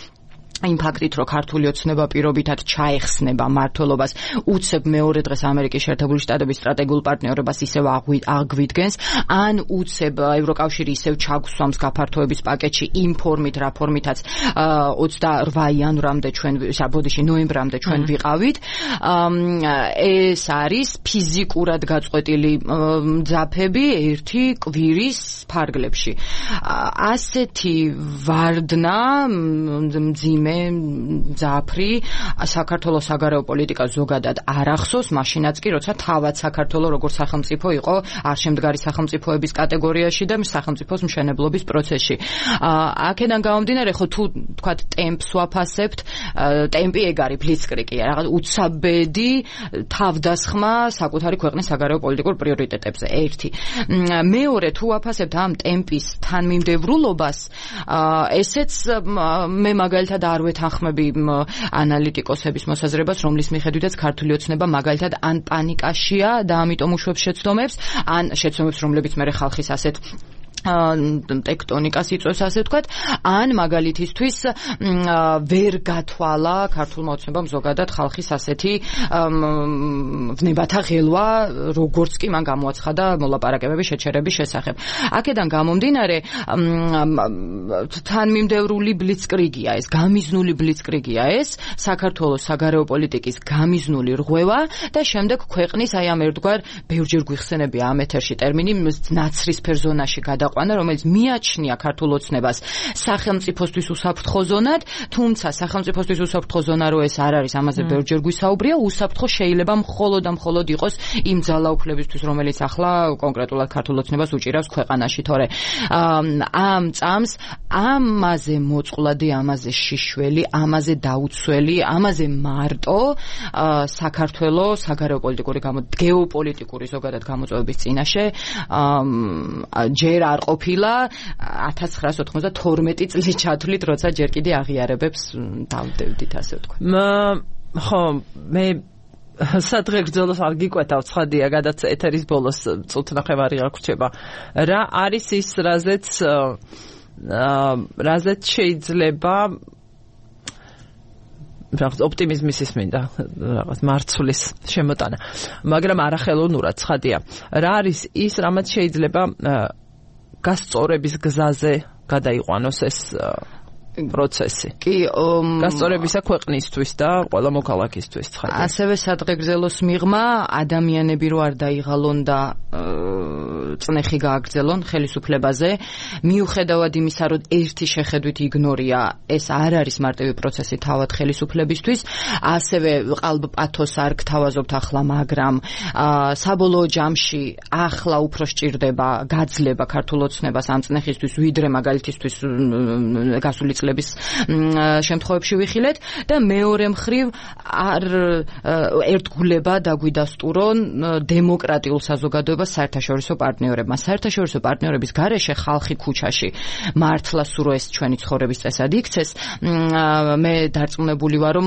იმ ფაქტით, რომ ქართული ოცნება პირობითად ჩაეხსნება მმართველობას, უცებ მეორე დღეს ამერიკის შეერთებული შტატების სტრატეგიულ პარტნიორობას ისევ აგვიდგენს, ან უცებ ევროკავშირი ისევ ჩაგსვამს გაფართოების პაკეტში იმ ფორმით, რა ფორმითაც ოცდაორ იანვრამდე ჩვენ, საბოდიში ნოემბრამდე ჩვენ ვიყავით. ეს არის ფიზიკურად გაწყვეტილი მძაფები ერთი კვირის ფარგლებში. ასეთი ვარდნა მძიმე ძაფრი საქართველოს საგარეო პოლიტიკა ზოგადად არ ახსოვს, მაშინაც კი როცა თავად საქართველო როგორც სახელმწიფო იყო არშემდგარი სახელმწიფოების კატეგორიაში და სახელმწიფოს მშენებლობის პროცესში. აქედან გამომდინარე, ხო თუ თქვათ ტემპს ვაფასებთ, ტემპი ეგ არის ბლიცკრიგია, რაღაც უცაბედი თავდასხმა საკუთარი ქვეყნის საგარეო პოლიტიკურ პრიორიტეტებზე. ერთი. მეორე, თუ ვაფასებთ ამ ტემპის თანმიმდევრულობას, ესეც მე მაგალითად არ ვეთანხმები ანალიტიკოსების მოსაზრებას, რომლის მიხედვითაც ქართული ოცნება მაგალითად ან პანიკაშია და ამიტომ უშვებს შეცდომებს, ან შეცდომებს, რომლებიც მე ხალხის ასეთ ტექტონიკას იწვევს ასე ვთქვათ, ან მაგალითისთვის ვერ გათვალა ქართულმა ოცნებამ ზოგადად ხალხის ასეთი ვნებათა ღელვა, როგორც კი მან გამოაცხადა მოლაპარაკებების შეჩერების შესახებ. აქედან გამომდინარე, თანმიმდევრული ბლიცკრიგია ეს, გამიზნული ბლიცკრიგია ეს, საქართველოს საგარეო პოლიტიკის გამიზნული რღვევა და შემდეგ ქვეყნის აი ამ ერთგვარ ბევრჯერ გვიხსენებია ამ ეთერში ტერმინი ნაცრისფერ ზონაში გადაყვანა, რომელიც მიაჩნია ქართულ ოცნებას სახელმწიფოსთვის უსაფრთხო ზონად, თუმცა სახელმწიფოსთვის უსაფრთხო ზონა რო ეს არ არის, ამაზე ბევრჯერ გვისაუბრია, უსაფრთხო შეიძლება მხოლოდ და მხოლოდ იყოს იმ ძალაუფლებისთვის, რომელიც ახლა კონკრეტულად ქართულ ოცნებას უჭირავს ქვეყანაში, თორე ამ წამს ამაზე მოწყვლადი, ამაზე შიშველი, ამაზე დაუცველი, ამაზე მარტო საქართველოს საგარეო პოლიტიკური გეოპოლიტიკური ზოგადად გამოწვევების წინაშე ჯერ არ ყოფილა ათას ცხრაას ოცდათორმეტი წლის ჩათვლით, როცა ჯერ კიდე აღიარებებს დავდევდით, ასე ვთქვათ. ხო, მე სადღე გრძელოს არ გიკვეთავ, ცხადია, გადაც ეთერის ბოლოს წუთნახევარი აღრჩება. რა არის ის, რაზეც რაზეც შეიძლება რაღაც ოპტიმიზმის ისმინდა, რაღაც მარცვლის შემოტანა, მაგრამ არახელოვნურად ცხადია. რა არის ის, რამაც შეიძლება გასწორების გზაზე გადაიყვანოს ეს პროცესი. კი, გასწორებისა ქვეყნისთვის და ყველა მოქალაქისთვის ცხადია. ასევე სადღეგრძელოს მიღმა ადამიანები რო არ დაიღალონ და წნეხი გააგრძელონ ხელისუფლებაზე, მიუხედავად იმისა, რომ ერთი შეხედვით იგნორია, ეს არ არის მარტივი პროცესი თავად ხელისუფლებისთვის, ასევე ყალბ პათოს არ გთავაზობთ ახლა, მაგრამ საბოლოო ჯამში ახლა უფრო სჭირდება გაძლება ქართულ ოცნებას ამ წნეხისთვის, ვიდრე მაგალითისთვის გასული წლების შემთხვევებში ვიხილეთ და მეორე მხრივ არ ერთგულება დაგვიდასტურონ დემოკრატიულ საზოგადოებას საერთაშორისო პარტნიორებმა. საერთაშორისო პარტნიორების გარეშე ხალხი ქუჩაში მართლა სურო ეს ჩვენი ცხოვრების წესად იქცეს. მე დარწმუნებული ვარ, რომ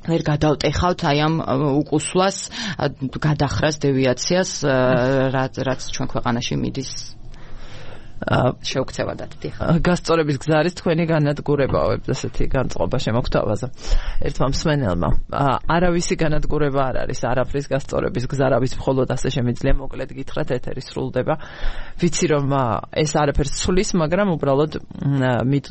ვერ გადავტეხავთ აი ამ უკუსვლას, გადახრას, დევიაციას, რაც რაც ჩვენ ქვეყანაში მიდის. შეუქცევადად დიხარ. გასწორების გზა არის თქვენი განადგურებაო, ესეთი განწყობა შემოგთავაზა ერთმა მსმენელმა. არავისი განადგურება არ არის, არაფრის გასწორების გზა, რავის მხოლოდ ასე შემიძლია მოკლედ გითხრათ, ეთერი სრულდება. ვიცი რომ ეს არაფერს ცulis, მაგრამ უბრალოდ მით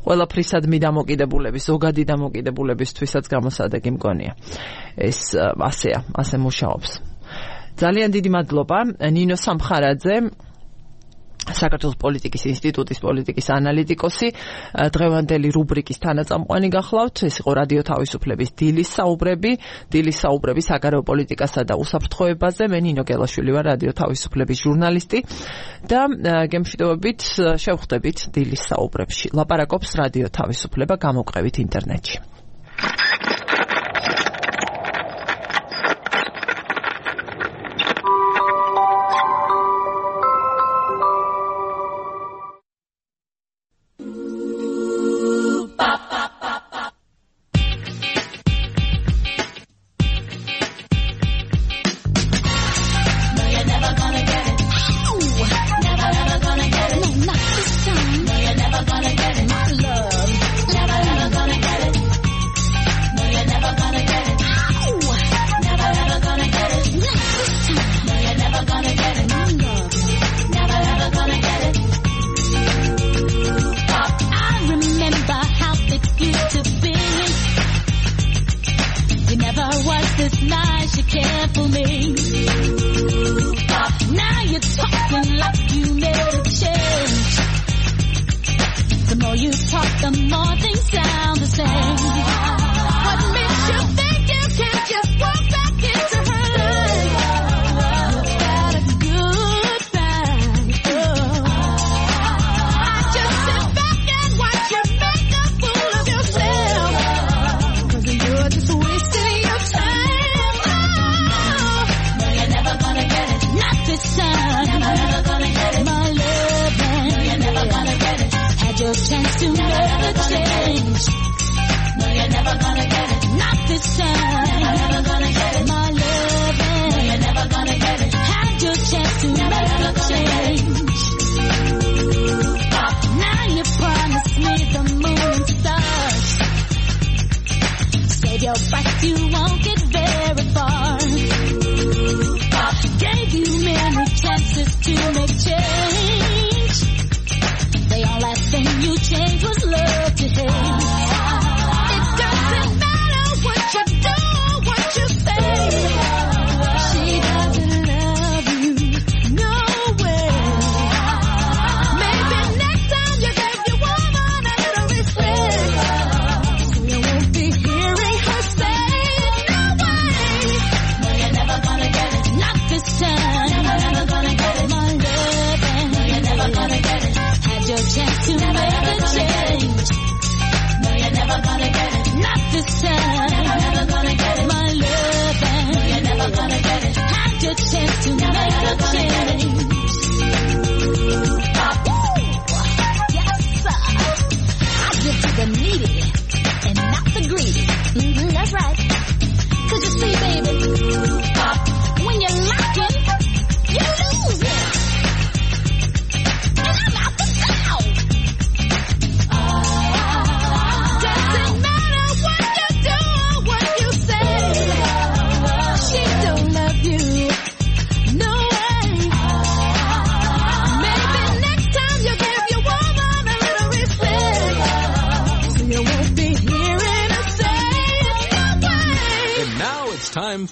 ყველაფრისად მიდამოკიდებულების, ზოგადი დამოკიდებულებისთვისაც გამოსადეგი მგონია. ეს ასეა, ასე მუშაობს. ძალიან დიდი მადლობა ნინო სამხარაძე, საქართველოს პოლიტიკის ინსტიტუტის პოლიტიკის ანალიტიკოსი, დღევანდელი რუბრიკის თანაწამყვანი გახლავთ. ეს იყო რადიო თავისუფლების დილის საუბრები, დილის საუბრები საგარეო პოლიტიკასა და უსაფრთხოებაზე. მე ნინო გელაშვილი ვარ, რადიო თავისუფლების ჟურნალისტი და გემშვიდობებით შევხვდებით დილის საუბრებში. ლაპარაკობს რადიო თავისუფლება გამოკვლევით ინტერნეტში.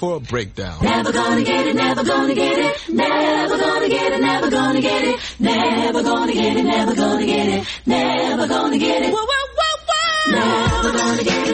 For a breakdown. Never gonna get it, never gonna get it, never gonna gonna get it, never gonna get it, never gonna get it, never gonna get it, whoa, whoa, whoa, whoa. Never gonna get it.